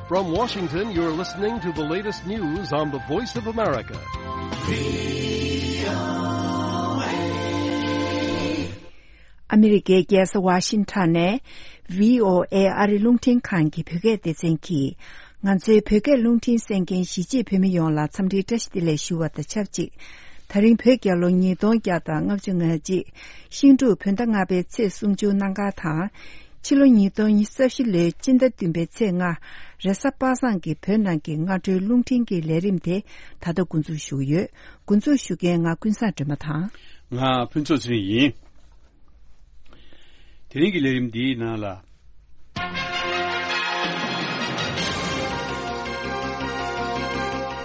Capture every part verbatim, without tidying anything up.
From Washington, you're listening to the latest news on the Voice of America. ཨ་མི་རི་ཀའི་རྒྱལ་ས་ཝ་ཤིང་ཊོན་ནས་བྷི་ཨོ་ཨེ་ཨ་རི་རླུང་འཕྲིན་ཁང་གི་བོད་སྐད་སྡེ་ཚན་གྱིས། ང་ཚོའི་བོད་སྐད་རླུང་འཕྲིན་གསན་མཁན་གཞིས་བྱེས་བོད་མི་ཡོངས་ལ་འཚམས་འདྲིའི་བཀྲ་ཤིས་བདེ་ལེགས་ཞུ་བ་དང་ཆབས་ཅིག་ད་རིང་བོད་རྒྱལ་ལོ་ཉིས་སྟོང་བརྒྱ་དང་ལྔ་བཅུ་ང་གཅིག་ཤིང་འབྲུག་བོད་ཟླ་ལྔ་པའི་ཚེས་སུམ་ཅུ་གནམ་གང་དང་། ཕྱི་ལོ་ཉིས་སྟོང་ཉི་ཤུ་རྩ་བཞི་ལོའི་སྤྱི་ཟླ་བདུན་པའི་ཚེས་ལྔ། རེས་གཟའ་པ་སངས་ཀྱི་བོད་ནང་གི་སྔ་དྲོའི་རླུང་འཕྲིན་གྱི་ལས་རིམ་དེ་ད་ལྟ་འགོ་འཛུགས་ཞུ་གི་ཡོད། འགོ་འཛུགས་ཞུ་མཁན་ང་ཀུན་བཟང་སྒྲོལ་མ་དང་། ང་ཕུན་ཚོགས་ཚེ་རིང་ཡིན། དེ་རིང་གི་ལས་རིམ་འདིའི་ནང་ལ།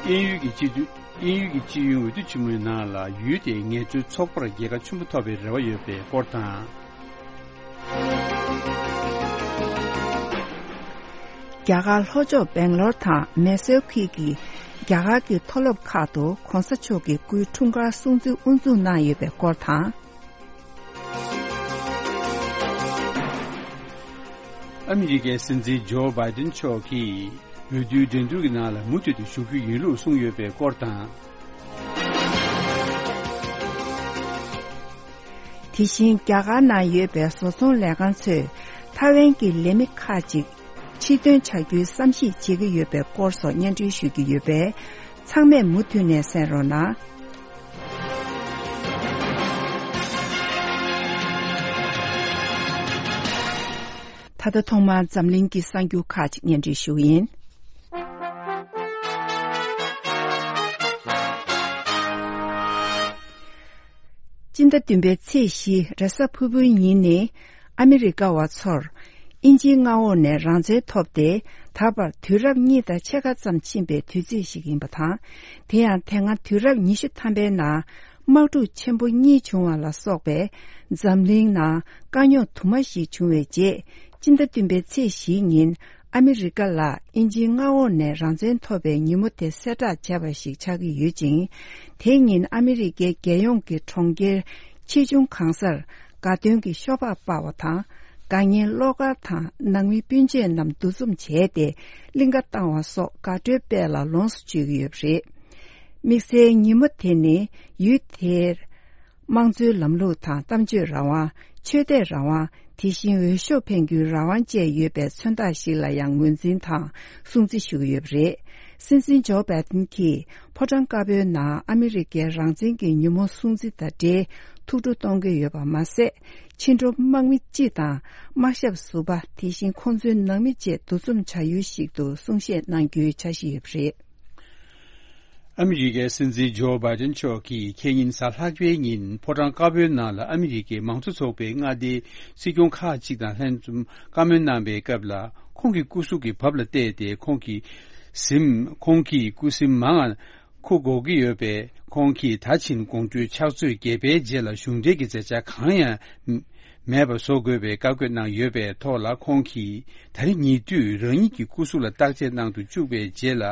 དབྱིན་ཡུལ་གྱི་སྤྱི་འཐུས། དབྱིན་ཡུལ་གྱི་སྤྱི་ཡོངས་འོས་བསྡུ་ཆེན་མོའི་ནང་ལ་ཡུལ་དེའི་ངལ་རྩོལ་ཚོགས་པར་རྒྱལ་ཁ་ཆེན་པོ་ཐོབ་པའི་རེ་བ་ཡོད་པའི་སྐོར་དང་། རྒྱ་གར་ལྷོ་ཕྱོགས་སྦེང་ལོར་དང་མེ་སོར་ཁུལ་གྱི་རྒྱ་གར་གྱི་མཐོ་སློབ་ཁག་ཏུ་གོང་ས་མཆོག་གི་སྐུའི་འཁྲུངས་སྐར་སྲུང་བརྩི་དབུ་འཛུགས་གནང་ཡོད་པའི་སྐོར་དང་། ཨ་མི་རི་ཀའི་སྲིད་འཛིན་ཇོ་བྷའི་ཏིན་མཆོག་གིས་འོས་བསྡུའི་འགྲན་བསྡུར་གྱི་ནང་ལ་མུ་མཐུད་དུ་ཞུགས་རྒྱུ་ཡིན་ལུགས་གསུངས་ཡོད་པའི་སྐོར་དང་། དེ་བཞིན་རྒྱ་གར་ནང་ཡོད་པའི་བཟོ་ཚོང་ལས་ཁང་ཚོས་ཐའེ་ཝན་གྱི་ལས་མི་ཁག་ཅིག་ཕྱིར་འདོན་བྱ་རྒྱུའི་བསམ་གཞིག་བྱེད་ཀྱི་ཡོད་པའི་སྐོར་སོགས་སྙན་སྒྲོན་ཞུ་རྒྱུ་ཡོད་པས། ཚང་མས་མུ་མཐུད་ནས་གསན་རོགས་གནང་། ད་ལྟ་ཐོག་མར་འཛམ་གླིང་གི་གསར་འགྱུར་ཁག་ཅིག་སྙན་སྒྲོན་ཞུ་གི་ཡིན། སྤྱི་ཟླ་བདུན་པའི་ཚེས་བཞི་རེས་གཟའ་ཕུར་བུའི་ཉིན་ནི་ཨ་མི་རི་ཀ་བ་ཚོར་དབྱིན་ཇིའི་མངའ་འོག་ནས་རང་བཙན་ཐོབ་སྟེ་ད་བར་དུས་རབས་གཉིས་དང་ཕྱེད་ཀ་ཙམ་ཕྱིན་པའི་དུས་ཚིགས་ཤིག་ཡིན་པ་དང་། དེ་ཡང་དེ་སྔ་དུས་རབས་ཉི་ཤུ་ཐམ་པའི་ནང་དམག་འཁྲུག་ཆེན་པོ་གཉིས་བྱུང་བ་ལ་སོགས་པའི་འཛམ་གླིང་ནང་དཀའ་རྙོག་དུ་མ་ཞིག་བྱུང་བའི་རྗེས། སྤྱི་ཟླ་བདུན་པའི་ཚེས་བཞིའི་ཉིན་ཨ་མི་རི་ཀ་ལ་དབྱིན་ཇིའི་མངའ་འོག་ནས་རང་བཙན་ཐོབ་པའི་ཉིན་མོ་དེ་གསལ་བསྒྲགས་བྱས་པ་ཞིག་ཆགས་ཀྱི་ཡོད་ཅིང་། དེའི་ཉིན་ཨ་མི་རི་ཀའི་རྒྱལ་ཡོངས་ཀྱི་གྲོང་ཁྱེར་ཆེ་ཆུང་གང་སར་དགའ་སྟོན་གྱི་ཤོག་སྦག་སྤར་བ་དང་། དགའ་ཉེ་བློ་དཀར་དང་ནང་མི་སྤུན་མཆེད་རྣམས་འདུ་འཛོམས་བྱས་ཏེ་གླིང་ག་བཏང་བ་སོགས་དགའ་སྤྲོའི་དཔལ་ལ་ལོངས་སུ་སྤྱོད་ཀྱི་ཡོད་པ་རེད། དམིགས་བསལ་ཉིན་མོ་དེ་ནི་ཡུལ་དེར་དམངས་གཙོའི་ལམ་ལུགས་དང་གཏམ་བརྗོད་རང་དབང་། ཆོས་དད་རང་དབང་། དེ་བཞིན་འོས་ཤོག་འཕེན་རྒྱུའི་རང་དབང་བཅས་ཡོད་པའི་མཚོན་རྟགས་ཤིག་ལ་ཡང་ངོས་འཛིན་དང་སྲུང་བརྩི་ཞུ་གི་ཡོད་པ་རེད། སྲིད་འཛིན་ཇོ་བྷའི་ཏིན་གྱིས་ཕོ་བྲང་དཀར་པོའི་ནང་ཨ་མི་རི་ཀའི་རང་བཙན་གྱི་ཉིན་མོ་སྲུང་བརྩི་དང་འབྲེལ་ཐུགས་སྤྲོ་གཏོང་གི་ཡོད་པ་མ་ཟད། ཕྱི་འགྲོ་དམག་མི་སྤྱི་དང་དམག་ཞབས་ཟུར་པ། དེ་བཞིན་ཁོང་ཚོའི་ནང་མི་བཅས་འདུ་འཛོམས་བྱ་ཡུལ་ཞིག་ཏུ་གསུང་བཤད་གནང་རྒྱུའི་འཆར་གཞི་ཡོད་པ་རེད། ཨ་མི་རི་ཀའི་སྲིད་འཛིན་ཇོ་བྷའི་ཏིན་མཆོག་གིས་ཁེ་ཉིན་གཟའ་ལྷག་པའི་ཉིན་ཕོ་བྲང་དཀར་པོའི་ནང་ལ་ཨ་མི་རི་ཀའི་མང་གཙོ་ཚོགས་པའི་མངའ་སྡེའི་སྲིད་སྐྱོང་ཁག་ཅིག་དང་ལྷན་འཛོམས་བཀའ་མོལ་གནང་པའི་སྐབས་ལ། ཁོང་གི་སྐུ་གཟུགས་ཀྱི་བབ་ལ་བལྟས་ཏེ་ཁོང་གི་གཟིམ། ཁོང་གི་སྐུ་གཟིམ་མང་ང་འཁུར་དགོས་ཀྱི་ཡོད་པས། ཁོང་གིས་ད་ཕྱིན་དགོང་དྲོའི་ཕྱག་ཚོད་བརྒྱད་པའི་རྗེས་ལ་གཞུང་འབྲེལ་གྱི་མཛད་འཆར་གང་ཡང་མེད་པ་བཟོ་དགོས་པའི་བཀའ་བཀོད་གནང་ཡོད་པའི་ཐོག་ལ། ཁོང་གིས་ད་རེས་ཉེ་དུས་རང་ཉིད་ཀྱི་སྐུ་གཟུགས་ལ་བརྟག་དཔྱད་གནང་དུ་བཅུག་པའི་རྗེས་ལ།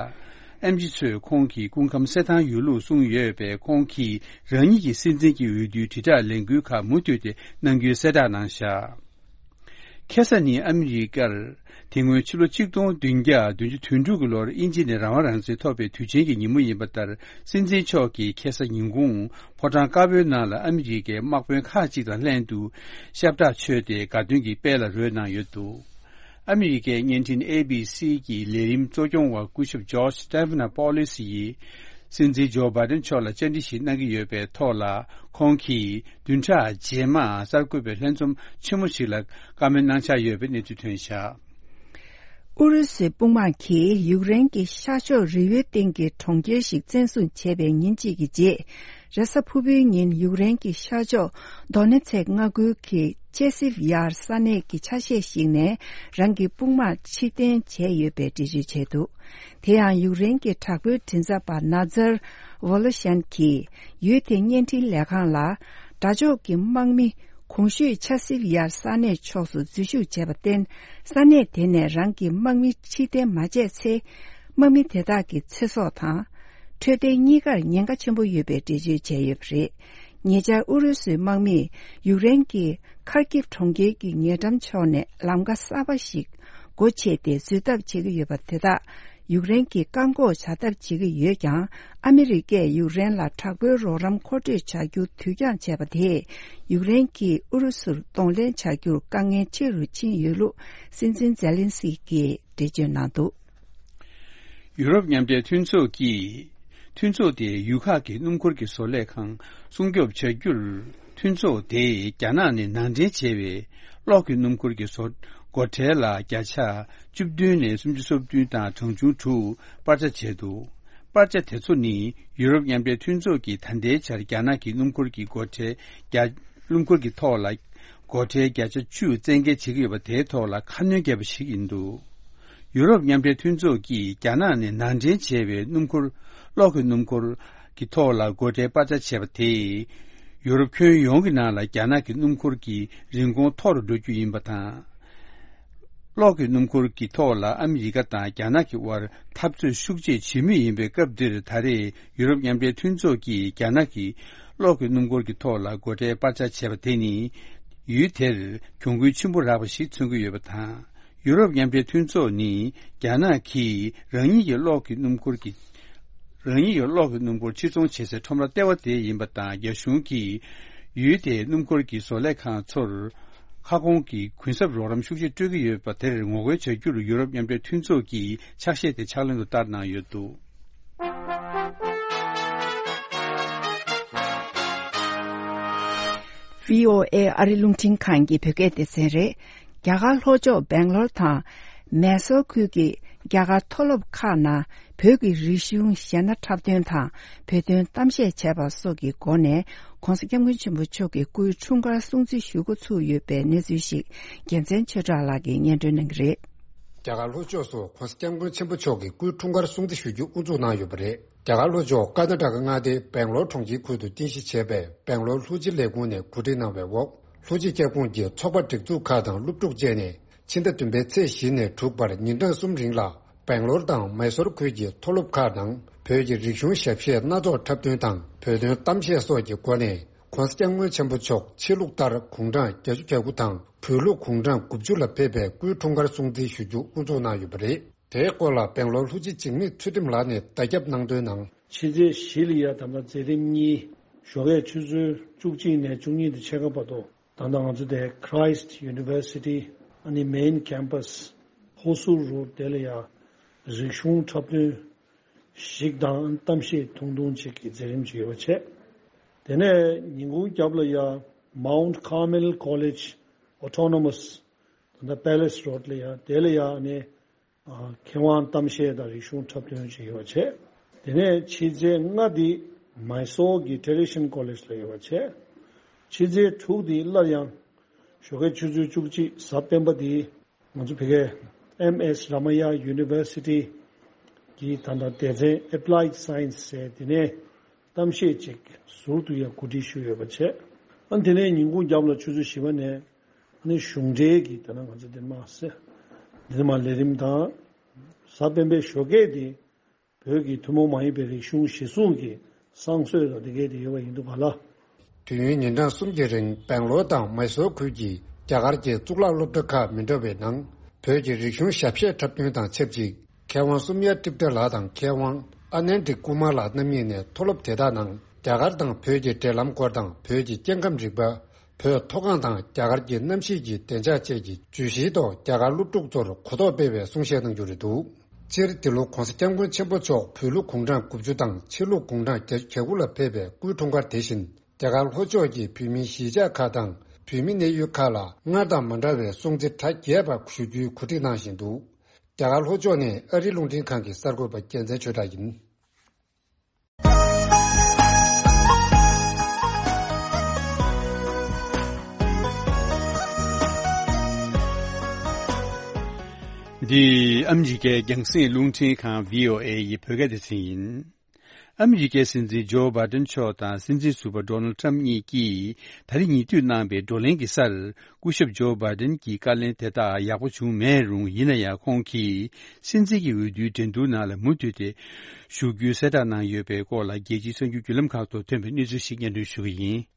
ཨེམ་ཆི་ཚོས་ཁོང་གི་སྐུ་ཁམས་གསལ་ཐང་ཡོད་ལུགས་གསུངས་ཡོད་པས། ཁོང་གིས་རང་ཉིད་ཀྱི་སྲིད་འཛིན་གྱི་འོས་བསྡུའི་དྲིལ་བསྒྲགས་ལས་འགུལ་ཁག་མུ་མཐུད་དེ་གནང་རྒྱུའི་གསལ་བསྒྲགས་གནང་བཞག་ཁ་སང་ནི་ཨ་མི་རི་ཀར་དེ་སྔོན་ཕྱི་ལོ་ཆིག་སྟོང་བདུན་བརྒྱ་བདུན་ཅུ་དོན་དྲུག་གི་ལོར་དབྱིན་ཇི་ནས་རང་དབང་རང་བཙན་ཐོབ་པའི་དུས་ཆེན་གྱི་ཉིན་མོ་ཡིན་པ་ལྟར། སྲིད་འཛིན་མཆོག་གིས་ཁ་སང་ཉིན་གུང་ཕོ་བྲང་དཀར་པོའི་ནང་ལ་ཨ་མི་རི་ཀའི་དམག་དཔོན་ཁག་ཅིག་དང་ལྷན་དུ་ཤ་བཀྲ་མཆོད་དེ་དགའ་སྟོན་གྱི་དཔལ་ལ་རོལ་གནང་ཡོད་འདུག་ཨ་མི་རི་ཀའི་བརྙན་འཕྲིན་ཨེ་བི་སི་གི་ལས་རིམ་གཙོ་སྐྱོང་བ་སྐུ་ཞབས་ཇོརྗ་སྟེ་ཕི་ན་པོ་ལིས་ཡིས། སྲིད་འཛིན་ཇོ་བྷའི་ཏིན་མཆོག་ལ་བཅར་འདྲི་ཞིག་གནང་གི་ཡོད་པའི་ཐོག་ལ། ཁོང་གིས་བདུན་ཕྲག་རྗེས་མ་གསར་འགོད་པའི་ལྷན་འཛོམས་ཆེན་མོ་ཞིག་ལ་བཀའ་མོལ་གནང་འཆར་ཡོད་པའི་གནས་ཚུལ་ཐོན་བཞག་ཨུ་རུ་སུའི་དཔུང་དམག་གིས་ཡུཀ་རེན་གྱི་ཤར་ཕྱོགས་རི་བོའི་སྟེང་གི་གྲོང་ཁྱེར་ཞིག་བཙན་བཟུང་བྱས་པའི་ཉིན་གཅིག་གི་རྗེས། རེས་གཟའ་ཕུར་བུའི་ཉིན་ཡུཀ་རེན་གྱི་ཤར་ཕྱོགས་དོ་ནེ་ཚེག་མངའ་ཁུལ་གྱི་ཅེ་སིབ་ཡར་ས་གནས་ཀྱི་ཆ་ཤས་ཤིག་ནས་རང་གི་དཔུང་དམག་ཕྱིར་འཐེན་བྱས་ཡོད་པའི་འགྲེལ་བརྗོད་བྱས་འདུག་དེ་ཡང་ཡུཀ་རེན་གྱི་དྲག་པོའི་མགྲིན་ཚབ་པ་ན་ཛར་ཝོ་ལོ་ཤན་གྱིས་ཡུལ་དེའི་བརྙན་འཕྲིན་ལས་ཁང་ལ། དགྲ་ཕྱོགས་ཀྱི་དམག་མི་གོང་ཞུས་ཆ་སིབ་ཡར་ས་གནས་ཕྱོགས་སུ་འཛུལ་ཞུགས་བྱས་པར་བརྟེན། ས་གནས་དེ་ནས་རང་གི་དམག་མི་ཕྱིར་འཐེན་མ་བྱས་ཚེ། དམག་མི་དེ་དག་གི་ཚེ་སྲོག་དང་། འཕྲོད་བསྟེན་གཉིས་ཀར་ཉེན་ཁ་ཆེན་པོ་ཡོད་པའི་འགྲེལ་བརྗོད་བྱས་ཡོད་པ་རེད། ཉེ་ཆར་ཨུ་རུ་སུའི་དམག་མིས་ཡུཀ་རེན་གྱི་ཁར་ཀིབ་གྲོང་ཁྱེར་གྱི་ཉེ་འགྲམ་ཕྱོགས་ནས་ལམ་ཁ་གསར་པ་ཞིག་ སྒོ་ཕྱེ་སྟེ་བཟོད་ཐབས་བྱེད་ཀྱི་ཡོད་པ་དེ་དག་ཡུཀ་རེན་གྱིས་བཀག་འགོག་བྱ་ཐབས་བྱེད་ཀྱི་ཡོད་ཀྱང་། ཨ་མི་རི་ཀས་ཡུཀ་རེན་ལ་དྲག་པོའི་རོགས་རམ་མཁོ་སྤྲོད་བྱ་རྒྱུ་དུས་འགྱངས་བྱས་པ་དེས། ཡུཀ་རེན་གྱིས་ཨུ་རུ་སུར་གདོང་ལེན་བྱ་རྒྱུར་དཀའ་ངལ་ཆེ་རུ་ཕྱིན་ཡོད་ལུགས་སྲིད་འཛིན་ཛེ་ལན་སི་ཀིས་འགྲེལ་བརྗོད་གནང་འདུག་ཡུ་རོབ་མཉམ་འབྲེལ་མཐུན་ཚོགས་ཀྱིས། མཐུན་ཚོགས་དེས་ཡུལ་ཁག་གི་སྣུམ་འཁོར་གྱི་བཟོ་ལས་ཁང་སྲུང་སྐྱོབ་བྱ་རྒྱུར། མཐུན་ཚོགས་དེས་རྒྱ་ནག་ནས་ནང་འདྲེན་བྱས་པའི་གློག་གི་སྣུམ་འཁོར་གྱི་བཟོ། སྒོ་ཁྲལ་ལ་བརྒྱ་ཆ་བཅུ་བདུན་ནས་སུམ་ཅུ་སོ་བདུན་དང་གྲངས་ཆུང་དྲུག་སྤར་ཆ་བྱས་འདུག་སྤར་ཆ་དེ་ཚོ་ནི་ཡུ་རོབ་མཉམ་འབྲེལ་མཐུན་ཚོགས་ཀྱིས་ད་ལྟའི་ཆར་རྒྱ་ནག་གི་སྣུམ་འཁོར་གྱི་སྒོ་ཁྲལ་བརྒྱ། སྣུམ་འཁོར་གྱི་ཐོག་ལ་སྒོ་ཁྲལ་བརྒྱ་ཆ་བཅུ་བཙན་འགེལ་བྱེད་ཀྱི་ཡོད་པ་དེའི་ཐོག་ལ་ཁ་སྣོན་བརྒྱབ་པ་ཞིག་ཡིན་འདུག་ཡུ་རོབ་མཉམ་འབྲེལ་མཐུན་ཚོགས་ཀྱིས་རྒྱ་ནག་ནས་ནང་འདྲེན་བྱས་པའི་སྣུམ་འཁོར། གློག་གི་སྣུམ་འཁོར་གྱི་ཐོག་ལ་སྒོ་ཁྲལ་སྤར་ཆ་བྱས་པ་དེས། ཡུ་རོབ་ཁྱོན་ཡོངས་ཀྱི་ནང་ལ་རྒྱ་ནག་གི་སྣུམ་འཁོར་གྱི་རིན་གོང་མཐོ་རུ་འགྲོ་རྒྱུ་ཡིན་པ་དང་། གློག་གི་སྣུམ་འཁོར་གྱི་ཐོག་ལ་ཨ་མི་རི་ཀ་དང་རྒྱ་ནག་གི་དབར་འཐབ་རྩོད་ཤུགས་ཆེ་བྱེད་མུས་ཡིན་པའི་སྐབས་འདིར། ད་རེས་ཡུ་རོབ་མཉམ་འབྲེལ་མཐུན་ཚོགས་ཀྱིས་རྒྱ་ནག་གི་གློག་གི་སྣུམ་འཁོར་གྱི་ཐོག་ལ་སྒོ་ཁྲལ་སྤར་ཆ་བྱས་པ་དེ་ནི། ཡུལ་དེར་གྱོང་གུན་ཆེན་པོ་རག་པ་ཞིག་མཚོན་གྱི་ཡོད་པ་དང་། ཡུ་རོབ་མཉམ་འབྲེལ་མཐུན་ཚོགས་ནི་རྒྱ་ནག་གིས་རང་ཉིད་ཀྱི་གློག་གི་སྣུམ་འཁོར་གྱི། རང་ཉིད་ཀྱི་གློག་གི་སྣུམ་འཁོར་ཕྱིར་ཚོང་བྱེད་སའི་ཁྲོམ་ར་ལྟེ་བ་དེ་ཡིན་པ་དང་། རྒྱ་གཞུང་གིས་ཡུལ་དེའི་སྣུམ་འཁོར་གྱི་བཟོ་ལས་ཁང་ཚོར་ཁ་སྐོང་གི་གུན་གསབ་རོགས་རམ་ཤུགས་ཆེ་སྤྲོད་ཀྱི་ཡོད་པ་དེར་ངོ་རྒོལ་བྱ་རྒྱུར་ཡུ་རོབ་མཉམ་འབྲེལ་མཐུན་ཚོགས་ཀྱིས་ཕྱག་བཞེས་དེ་ཕྱག་ལེན་དུ་བསྟར་གནང་ཡོད་འདུག་བྷི་ཨོ་ཨེ་ཨ་རི་རླུང་འཕྲིན་ཁང་གི་བོད་སྐད་སྡེ་ཚན་རེད། རྒྱ་གར་ལྷོ་ཕྱོགས་སྦེང་ལོར་དང་། མེ་སོར་ཁུལ་གྱི་རྒྱ་གར་མཐོ་སློབ་ཁག་ནང་བོད་ཀྱི་རིག་གཞུང་གཞས་སྣ་འཁྲབ་སྟོན་དང་བོད་དོན་གཏམ་བཤད་བྱས་པ་སོགས་ཀྱི་སྒོ་ནས། ྋགོང་ས་ྋསྐྱབས་མགོན་ཆེན་པོ་མཆོག་གི་སྐུའི་འཁྲུངས་སྐར་སྲུང་བརྩི་ཞུ་འགོ་ཚུགས་ཡོད་པའི་གནས་ཚུལ་ཞིག་རྒྱལ་མཚན་ཆོས་གྲགས་ལགས་ཀྱིས་སྙན་སྒྲོན་གནང་གི་རེད། རྒྱ་གར་ལྷོ་ཕྱོགས་སུ་ྋགོང་ས་ྋསྐྱབས་མགོན་ཆེན་པོ་མཆོག་གི་སྐུའི་འཁྲུངས་སྐར་སྲུང་བརྩི་ཞུ་རྒྱུ་དབུ་འཛུགས་གནང་ཡོད་པ་རེད། རྒྱ་གར་ལྷོ་ཕྱོགས་ཀར་ནཱ་ཊ་ཀ་མངའ་སྡེའི་སྦེང་ལོར་གྲོང་ཁྱེར་ཁུལ་དུ་རྟེན་གཞི་བྱས་པའི་སྦེང་ལོར་ལྷུ་ཇི་ལས་ཁུངས་ནས་གོ་སྒྲིག་གནང་བའི་འོག་ལྷུ་ཇི་སྐྱབས་ཁུངས་ཀྱི་ཚོགས་པ་སྒྲིག་འཛུགས་ཁག་དང་སློབ་ཕྲུག་བཅས་ནས། ཕྱི་ཟླ་བདུན་པའི་ཚེས་བཞི་ནས་དྲུག་བར་ཉིན་གྲངས་གསུམ་རིང་ལ། སྦེང་ལོར་དང་མེ་སོར་ཁུལ་གྱི་མཐོ་སློབ་ཁག་ནང་བོད་ཀྱི་རིག་གཞུང་ཞབས་གཞས་སྣ་ཚོགས་འཁྲབ་སྟོན་དང་བོད་དོན་གཏམ་བཤད་སོགས་ཀྱི་སྒོ་ནས། ྋགོང་ས་ྋསྐྱབས་མགོན་ཆེན་པོ་མཆོག་ཕྱི་ལུགས་ལྟར་དགུང་གྲངས་བརྒྱད་ཅུ་གྱ་དགུ་དང་བོད་ལུགས་དགུང་གྲངས་དགུ་བཅུ་ལ་ཕེབས་པའི་སྐུའི་འཁྲུངས་སྐར་སྲུང་བརྩི་ཞུ་རྒྱུ་དབུ་འཛུགས་གནང་ཡོད་པ་རེད། དེའི་སྐོར་ལ་སྦེང་ལོར་ལྷུ་ཇི་འཇིགས་མེད་ཚུལ་ཁྲིམས་ལགས་ནས་བརྡ་ཁྱབ་གནང་དོན་ནང་། ཕྱི་ཚེས་བཞི་ལ་ཡ་ད་ལྟ་མཛད་རིམ་གཉིས། ཞོགས་ཀས་ཆུ་ཚོད་བཅུ་གཅིག་ནས་བཅུ་གཉིས་དང་ཕྱེད་ཀ་བར་དུ། ད་ལྟ་ང་ཚོ་དེ་Christ University ཨ་ནི་main campus Hosur Road དེ་ལ་ཡ་རིག་གཞུང་འཁྲབ་སྟོན་ཞིག་དང་གཏམ་བཤད་ཐུང་ཐུང་ཅིག་གི་མཛད་རིམ་ཅིག་ཡོད་པ་བྱས། དེ་ནས་ཉིན་གུང་རྒྱབ་ལ་ཡ་Mount Carmel College Autonomous ད་ལྟ་Palace Road ལ་ཡ་དེ་ལ་ཡ་ཨ་ནི། མཁས་དབང་གཏམ་བཤད་དང་རིག་གཞུང་འཁྲབ་སྟོན་བྱས་ཡོད་པ་བྱས། དེ་ནས་ཕྱི་ཚེས་ལྔ་འདི་མཱི་སོར་གྱི་Tradition College ལ་ཡོད་པ་བྱས། ཕྱི་ཚེས་དྲུག་འདི་སླར་ཡང་ཞོགས་ཀའི་ཆུ་ཚོད་བཅུ་གཅིག་གཟའ་སྤེན་པ་འདི་ང་ཚོ་བོད་སྐད་M S Ramaiah University གི་ད་ལྟ་སྡེ་ཚན་Applied Science ཟེར་དེ་ནས་གཏམ་བཤད་ཅིག་ཟུར་དུ་ཡང་གོ་སྒྲིག་ཞུས་ཡོད་པ་བྱས། ཨ་དེ་ནས་ཉིན་གུང་རྒྱབ་ལ་ཆུ་ཚོད་བཞི་པ་ནས། ཨ་ནི་གཞུང་འབྲེལ་གྱི་ད་ནང་ང་ཚོ་འདི་མ་ཟེར། འདི་མ་ལས་རིམ་དང་། གཟའ་སྤེན་པའི་ཞོགས་ཀས་དེ། བོད་ཀྱི་ཐུན་མོང་མ་ཡིན་པའི་རིག་གཞུང་གཞིར་བཟུང་གི་བསང་གསོལ་དང་དེ་གས་དེ་ཡོད་པ་ཡིན་འདུག་ག་ལ། དུས་ཡུན་ཉིན་གྲངས་གསུམ་གྱི་རིང་སྦེང་ལོར་དང་མཱི་སོར་ཁུལ་གྱི་རྒྱ་གར་གྱི་གཙུག་ལག་སློབ་གྲྭ་ཁག་མི་འདྲ་བའི་ནང་བོད་ཀྱི་རིག་གཞུང་ཞབས་གཞས་འཁྲབ་སྟོན་དང་ཆབས་ཅིག་མཁས་དབང་སོམ་ཡ་ཏྲིབ་ཏྲ་ལགས་དང་མཁས་དབང་ཨ་ནན་ཏི་ཀུ་མར་ལགས་རྣམ་གཉིས་ནས་མཐོ་སློབ་དེ་དག་ནང་རྒྱ་གར་དང་བོད་ཀྱི་འབྲེལ་ལམ་སྐོར་དང་བོད་ཀྱི་སྐྱེ་ཁམས་རིག་པ། བོད་མཐོ་སྒང་དང་རྒྱ་གར་གྱི་གནམ་གཤིས་ཀྱི་བདེ་འཇགས་བཅས་ཀྱི་བརྗོད་གཞིའི་ཐོག་རྒྱ་གར་སློབ་ཕྲུག་ཚོར་གོ་རྟོགས་སྤེལ་བའི་གསུང་བཤད་གནང་རྒྱུ་རེད་འདུག་སྤྱིར་འདི་ལོ་༧གོང་ས་༧སྐྱབས་མགོན་ཆེན་པོ་མཆོག་བོད་ལུགས་དགུང་གྲངས་དགུ་བཅུ་དང་ཕྱི་ལུགས་དགུང་གྲངས་བརྒྱད་ཅུ་གྱ་དགུ་ལ་ཕེབས་པའི་སྐུའི་འཁྲུངས་སྐར་དེ་བཞིན་རྒྱ་གར་ལྷོ་ཕྱོགས་ཀྱི་བོད་མིའི་གཞིས་ཆགས་ཁག་དང་བོད་མི་གནས་ཡུལ་ཁག་ལ་སྔར་དང་མ་འདྲ་བའི་སྲུང་བརྩི་གྲ་རྒྱས་པ་ཞུ་རྒྱུའི་གོ་སྒྲིག་གནང་བཞིན་འདུག་རྒྱ་གར་ལྷོ་ཕྱོགས་ནས་ཨ་རིའི་རླུང་འཕྲིན་ཁང་གི་གསར་འགོད་པ་རྒྱལ་མཚན་ཆོས་གྲགས་ཡིན། འདི་ཨ་མི་རི་ཀའི་རྒྱང་སྲིང་རླུང་འཕྲིན་ཁང་བྷི་ཨོ་ཨེ་ཡི་བོད་སྐད་སྡེ་ཚན་ཡིན། ཨ་མི་རི་ཀའི་སྲིད་འཛིན་ཇོ་བྷའི་ཏན་མཆོག་དང་སྲིད་འཛིན་ཟུར་པ་ཌོ་ནལ་ཊམ་གཉིས་ཀྱིས་ད་རེས་ཉེ་དུས་གནང་པའི་བགྲོ་གླེང་གི་སར། སྐུ་ཞབས་ཇོ་བྷའི་ཏན་གྱི་བཀའ་ལན་དེ་དག་ཡག་པོ་བྱུང་མེད་རུང་། ཡིན་ན་ཡང་ཁོང་གིས་སྲིད་འཛིན་གྱི་འོས་བསྡུའི་འགྲན་བསྡུར་ནང་ལ་མུ་མཐུད་དེ་ཞུགས་རྒྱུའི་གསལ་བསྒྲགས་གནང་ཡོད་པའི་སྐོར་ལ། རྒྱལ་སྤྱིའི་གསར་འགྱུར་བརྒྱུད་ལམ་ཁག་ཏུ་ཐོན་པའི་གནས་ཚུལ་ཞིག་སྙན་སྒྲོན་ཞུ་གི་ཡིན།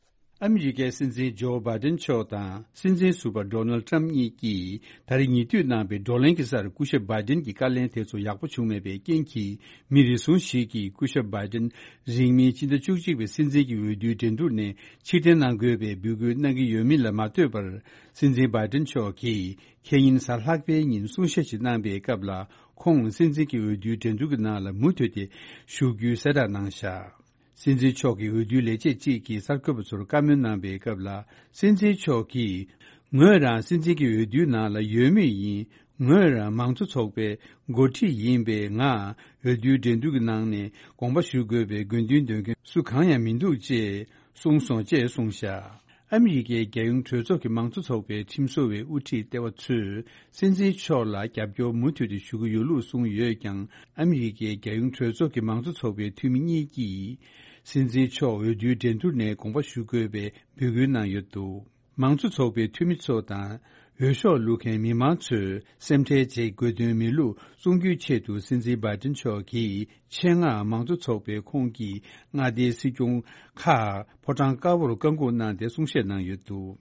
ཨ་མི་རི་ཀའི་སྲིད་འཛིན་ཇོ་བྷའི་ཏིན་མཆོག་དང་སྲིད་འཛིན་ཟུར་པ་ཌོ་ནལ་ཏྲམ་གཉིས་ཀྱིས་ད་རེས་ཉེ་དུས་གནང་པའི་བགྲོ་གླེང་གི་སར་སྐུ་ཞབས་བྷའི་ཏིན་གྱི་བཀའ་ལན་དེ་ཚོ་ཡག་པོ་བྱུང་མེད་པའི་རྐྱེན་གྱིས། མི་རེ་ཟུང་ཞིག་གིས་སྐུ་ཞབས་བྷའི་ཏིན་རིང་མིན་ཕྱི་ཟླ་བཅུ་གཅིག་པའི་སྲིད་འཛིན་གྱི་འོས་བསྡུའི་འགྲན་བསྡུར་ནས་ཕྱིར་འཐེན་གནང་དགོས་པའི་འབོད་སྐུལ་གནང་གི་ཡོད་མིན་ལ་མ་ལྟོས་པར། སྲིད་འཛིན་བྷའི་ཏིན་མཆོག་གིས་ཁེ་ཉིན་གཟའ་ལྷག་པའི་ཉིན་གསུང་བཤད་ཅིག་གནང་པའི་སྐབས་ལ། ཁོང་སྲིད་འཛིན་གྱི་འོས་བསྡུའི་འགྲན་བསྡུར་གྱི་ནང་ལ་མུ་མཐུད་དེ་ཞུགས་རྒྱུའི་གསལ་བསྒྲགས་གནང་བཞག། སྲིད་འཛིན་མཆོག་གི་འོས་བསྡུའི་ལས་བྱེད་ཅིག་གིས་གསར་འགོད་པ་ཚོར་བཀའ་མོལ་གནང་པའི་སྐབས་ལ། སྲིད་འཛིན་མཆོག་གིས། ངོས་རང་སྲིད་འཛིན་གྱི་འོས་བསྡུའི་ནང་ལ་ཡོད་མུས་ཡིན། ངོས་རང་མང་གཙོ་ཚོགས་པའི་འགོ་ཁྲིད་ཡིན་པས། ང་འོས་བསྡུའི་འགྲན་བསྡུར་གྱི་ནང་ནས་དགོངས་པ་ཞུ་དགོས་པའི་དགོས་འདུན་འདོན་མཁན་སུ་གང་ཡང་མི་འདུག་ཅེས་གསུངས་སོང་ཅེས་གསུངས་བཞག། ཨ་མི་རི་ཀའི་རྒྱལ་ཡོངས་གྲོས་ཚོགས་ཀྱི་མང་གཙོ་ཚོགས་པའི་ཁྲིམས་བཟོ་བའི་དབུ་ཁྲིད་ལྟེ་བ་ཚོས་སྲིད་འཛིན་མཆོག་ལ་རྒྱབ་སྐྱོར་མུ་མཐུད་དུ་ཞུ་གི་ཡོད་ལུགས་གསུངས་ཡོད་ཀྱང་། ཨ་མི་རི་ཀའི་རྒྱལ་ཡོངས་གྲོས་ཚོགས་ཀྱི་མང་གཙོ་ཚོགས་པའི་འཐུས་མི་གཉིས་ཀྱིས་སྲིད་འཛིན་མཆོག་འོས་བསྡུའི་འགྲན་བསྡུར་ནས་དགོངས་པ་ཞུ་དགོས་པའི་འབོད་སྐུལ་གནང་ཡོད་འདུག། མང་གཙོ་ཚོགས་པའི་འཐུས་མི་ཚོ་དང་། འོས་ཤོག་བླུག་མཁན་མི་མང་ཚོས་སེམས་ཁྲལ་བྱེད་དགོས་དོན་མེད་ལུགས་གསུང་རྒྱུའི་ཆེད་དུ། སྲིད་འཛིན་བྷའི་ཏིན་མཆོག་གིས་ཆེད་མངགས་མང་གཙོ་ཚོགས་པའི་ཁོངས་ཀྱི་མངའ་སྡེའི་སྲིད་སྐྱོང་ཁག་ཕོ་བྲང་དཀར་པོར་བཀའ་འགུག་གནང་སྟེ་གསུང་བཤད་གནང་ཡོད་འདུག།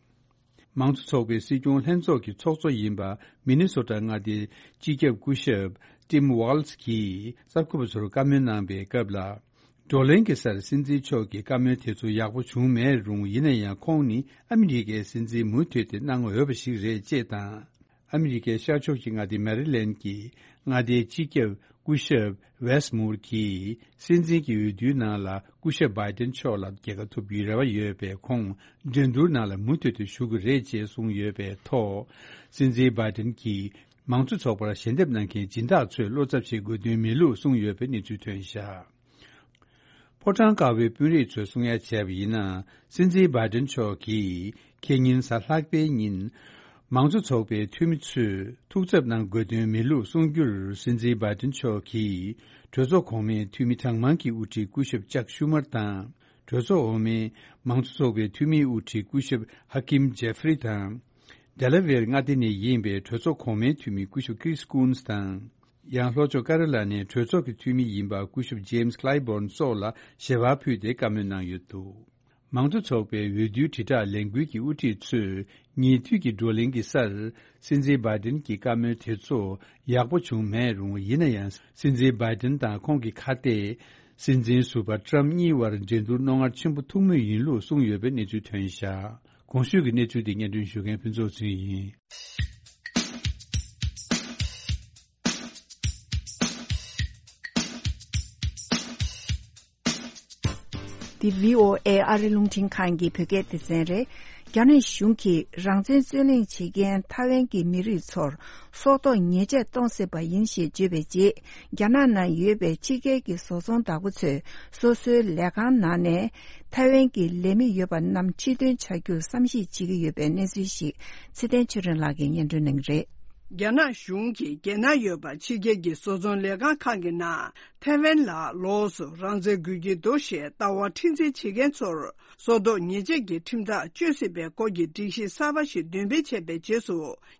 མང་གཙོ་ཚོགས་པའི་སྲིད་སྐྱོང་ལྷན་ཚོགས་ཀྱི་ཚོགས་གཙོ་ཡིན་པ། མི་ནི་སོ་ཊ་མངའ་སྡེའི་སྤྱི་ཁྱབ་སྐུ་ཞབས་ཊིམ་ཝཱལ་ཛི་གིས་གསར་འགོད་པ་ཚོར་བཀའ་མོལ་གནང་པའི་སྐབས་ལ། བགྲོ་གླེང་གི་སར་སྲིད་འཛིན་མཆོག་གི་བཀའ་མོལ་དེ་ཚོ་ཡག་པོ་བྱུང་མེད་རུང་། ཡིན་ན་ཡང་ཁོང་ནི་ཨ་མི་རི་ཀའི་སྲིད་འཛིན་མུ་མཐུད་དེ་གནང་འོས་པ་ཞིག་རེད་ཅེས་དང་། ཨ་མི་རི་ཀའི་ཤར་ཕྱོགས་ཀྱི་མངའ་སྡེ་མེ་རི་ལེན་གྱི་མངའ་སྡེའི་སྤྱི་ཁྱབ་སྐུ་ཞབས་ཝེས་མུར་གྱིས་སྲིད་འཛིན་གྱི་འོས་བསྡུའི་ནང་ལ་སྐུ་ཞབས་བྷའི་ཏིན་མཆོག་ལ་རྒྱལ་ཁ་ཐོབ་རྒྱུའི་རེ་བ་ཡོད་པས། ཁོང་འགྲན་བསྡུར་ནང་ལ་མུ་མཐུད་དུ་ཞུགས་ཀྱི་རེད་ཅེས་གསུངས་ཡོད་པའི་ཐོག། སྲིད་འཛིན་བྷའི་ཏིན་གྱིས་མང་གཙོ་ཚོགས་པར་ཞལ་འདེབས་གནང་མཁན་སྦྱིན་བདག་ཚོས་བློ་འཚབ་བྱེད་དགོས་དོན་མེད་ལུགས་གསུངས་ཡོད་པའི་གནས་ཚུལ་ཐོན་བཞག། ཕོ་བྲང་དཀར་པོའི་དཔོན་རིགས་ཚོས་གསུང་ཡ་བྱས་པ་ཡིན་ན། སྲིད་འཛིན་བྷའི་ཏིན་མཆོག་གིས་ཁེ་ཉིན་གཟའ་ལྷག་པའི་ཉིན། མང་གཙོ་ཚོགས་པའི་འཐུས་མི་ཚོས་ཐུགས་འཚབ་གནང་དགོས་དོན་མེད་ལུགས་གསུང་རྒྱུར། སྲིད་འཛིན་བྷའི་ཏིན་མཆོག་གིས་གྲོས་ཚོགས་གོང་མའི་འཐུས་མི་གྲངས་མང་གི་དབུ་ཁྲིད་སྐུ་ཞབས་ཅག་ཤུ་མར་དང་། གྲོས་ཚོགས་འོག་མའི་མང་གཙོ་ཚོགས་པའི་འཐུས་མིའི་དབུ་ཁྲིད་སྐུ་ཞབས་ཧ་ཀིམ་ཇེ་ཧྥི་རི་དང་། ཌེ་ལ་ཝེར་མངའ་སྡེ་ནས་ཡིན་པའི་གྲོས་ཚོགས་གོང་མའི་འཐུས་མི་སྐུ་ཞབས་ཀི་རིས་ཀུན་སི་དང་། ཡང་ལྷོ་ཕྱོགས་ཀ་རོ་ལ་ནའི་གྲོས་ཚོགས་ཀྱི་འཐུས་མི་ཡིན་པ་སྐུ་ཞབས་ཇེམ་སི་ཀླའི་བྷོན་སོགས་ལ་ཞལ་པར་ཕུལ་ཏེ་བཀའ་མོལ་གནང་ཡོད་འདུག། མང་གཙོ་ཚོགས་པའི་འོས་བསྡུའི་དྲིལ་བསྒྲགས་ལས་འགུལ་གྱི་དབུ་ཁྲིད་ཚོས་ཉེ་དུས་ཀྱི་བགྲོ་གླེང་གི་སར། སྲིད་འཛིན་བྷའི་ཏིན་གྱི་བཀའ་མོལ་དེ་ཚོ་ཡག་པོ་བྱུང་མེད་རུང་། ཡིན་ན་ཡང་སྲིད་འཛིན་བྷའི་ཏིན་དང་ཁོང་གི་ཁ་གཏད། སྲིད་འཛིན་ཟུར་པ་ཏྲམ་གཉིས་བར་འགྲན་བསྡུར་རྣོ་ངར་ཆེན་པོ་ཐུག་མུས་ཡིན་ལུགས་གསུངས་ཡོད་པའི་གནས་ཚུལ་ཐོན་བཞག། གོང་ཞུས་ཀྱི་གནས་ཚུལ་དེ་སྙན་སྒྲོན་ཞུ་མཁན་ཕུན་ཚོགས་ཚུན་ཡིན། འདི་བྷི་ཨོ་ཨེ་ཨ་རི་རླུང་འཕྲིན་ཁང་གི་བོད་སྐད་སྡེ་ཚན་རེད། རྒྱ་ནག་གཞུང་གིས་རང་བཙན་རྩོད་ལེན་བྱེད་མཁན་ཐའེ་ཝན་གྱི་མི་རིགས་ཚོར་སྲོག་ཐོག་ཉེས་ཆད་གཏོང་སྲིད་པ་ཡིན་ཞེས་བརྗོད་པའི་རྗེས། རྒྱ་ནག་ནང་ཡོད་པའི་ཕྱི་རྒྱལ་གྱི་བཟོ་ཚོང་བདག་པོ་ཚོས་སོ་སོའི་ལས་ཁང་ནང་ནས་ཐའེ་ཝན་གྱི་ལས་མི་ཡོད་པ་རྣམས་ཕྱིར་འདོན་བྱ་རྒྱུར་བསམ་གཞིག་བྱེད་ཀྱི་ཡོད་པའི་གནས་ཚུལ་ཞིག་ཚེ་བརྟན་ཆོས་སྒྲོན་ལགས་ཀྱིས་སྙན་སྒྲོན་གནང་གི་རེད། རྒྱ་ནག་གཞུང་གིས་རྒྱལ་ནང་ཡོད་པ་ཕྱི་རྒྱལ་གྱི་བཟོ་ཚོང་ལས་ཁང་ཁག་གི་ནང་ཐའེ་ཝན་ལ་ལོགས་སུ་རང་བཙན་དགོས་ཀྱི་འདུག་ཞེས་ལྟ་བ་མཁྲེགས་འཛིན་བྱེད་མཁན་ཚོར་སྲོག་ཐོག་ཉེས་ཆད་ཀྱི་ཁྲིམས་ཐག་གཅོད་སྲིད་པའི་སྐོར་གྱི་སྒྲིག་གཞི་གསར་པ་ཞིག་འདོན་སྤེལ་བྱས་པའི་རྗེས་སུ།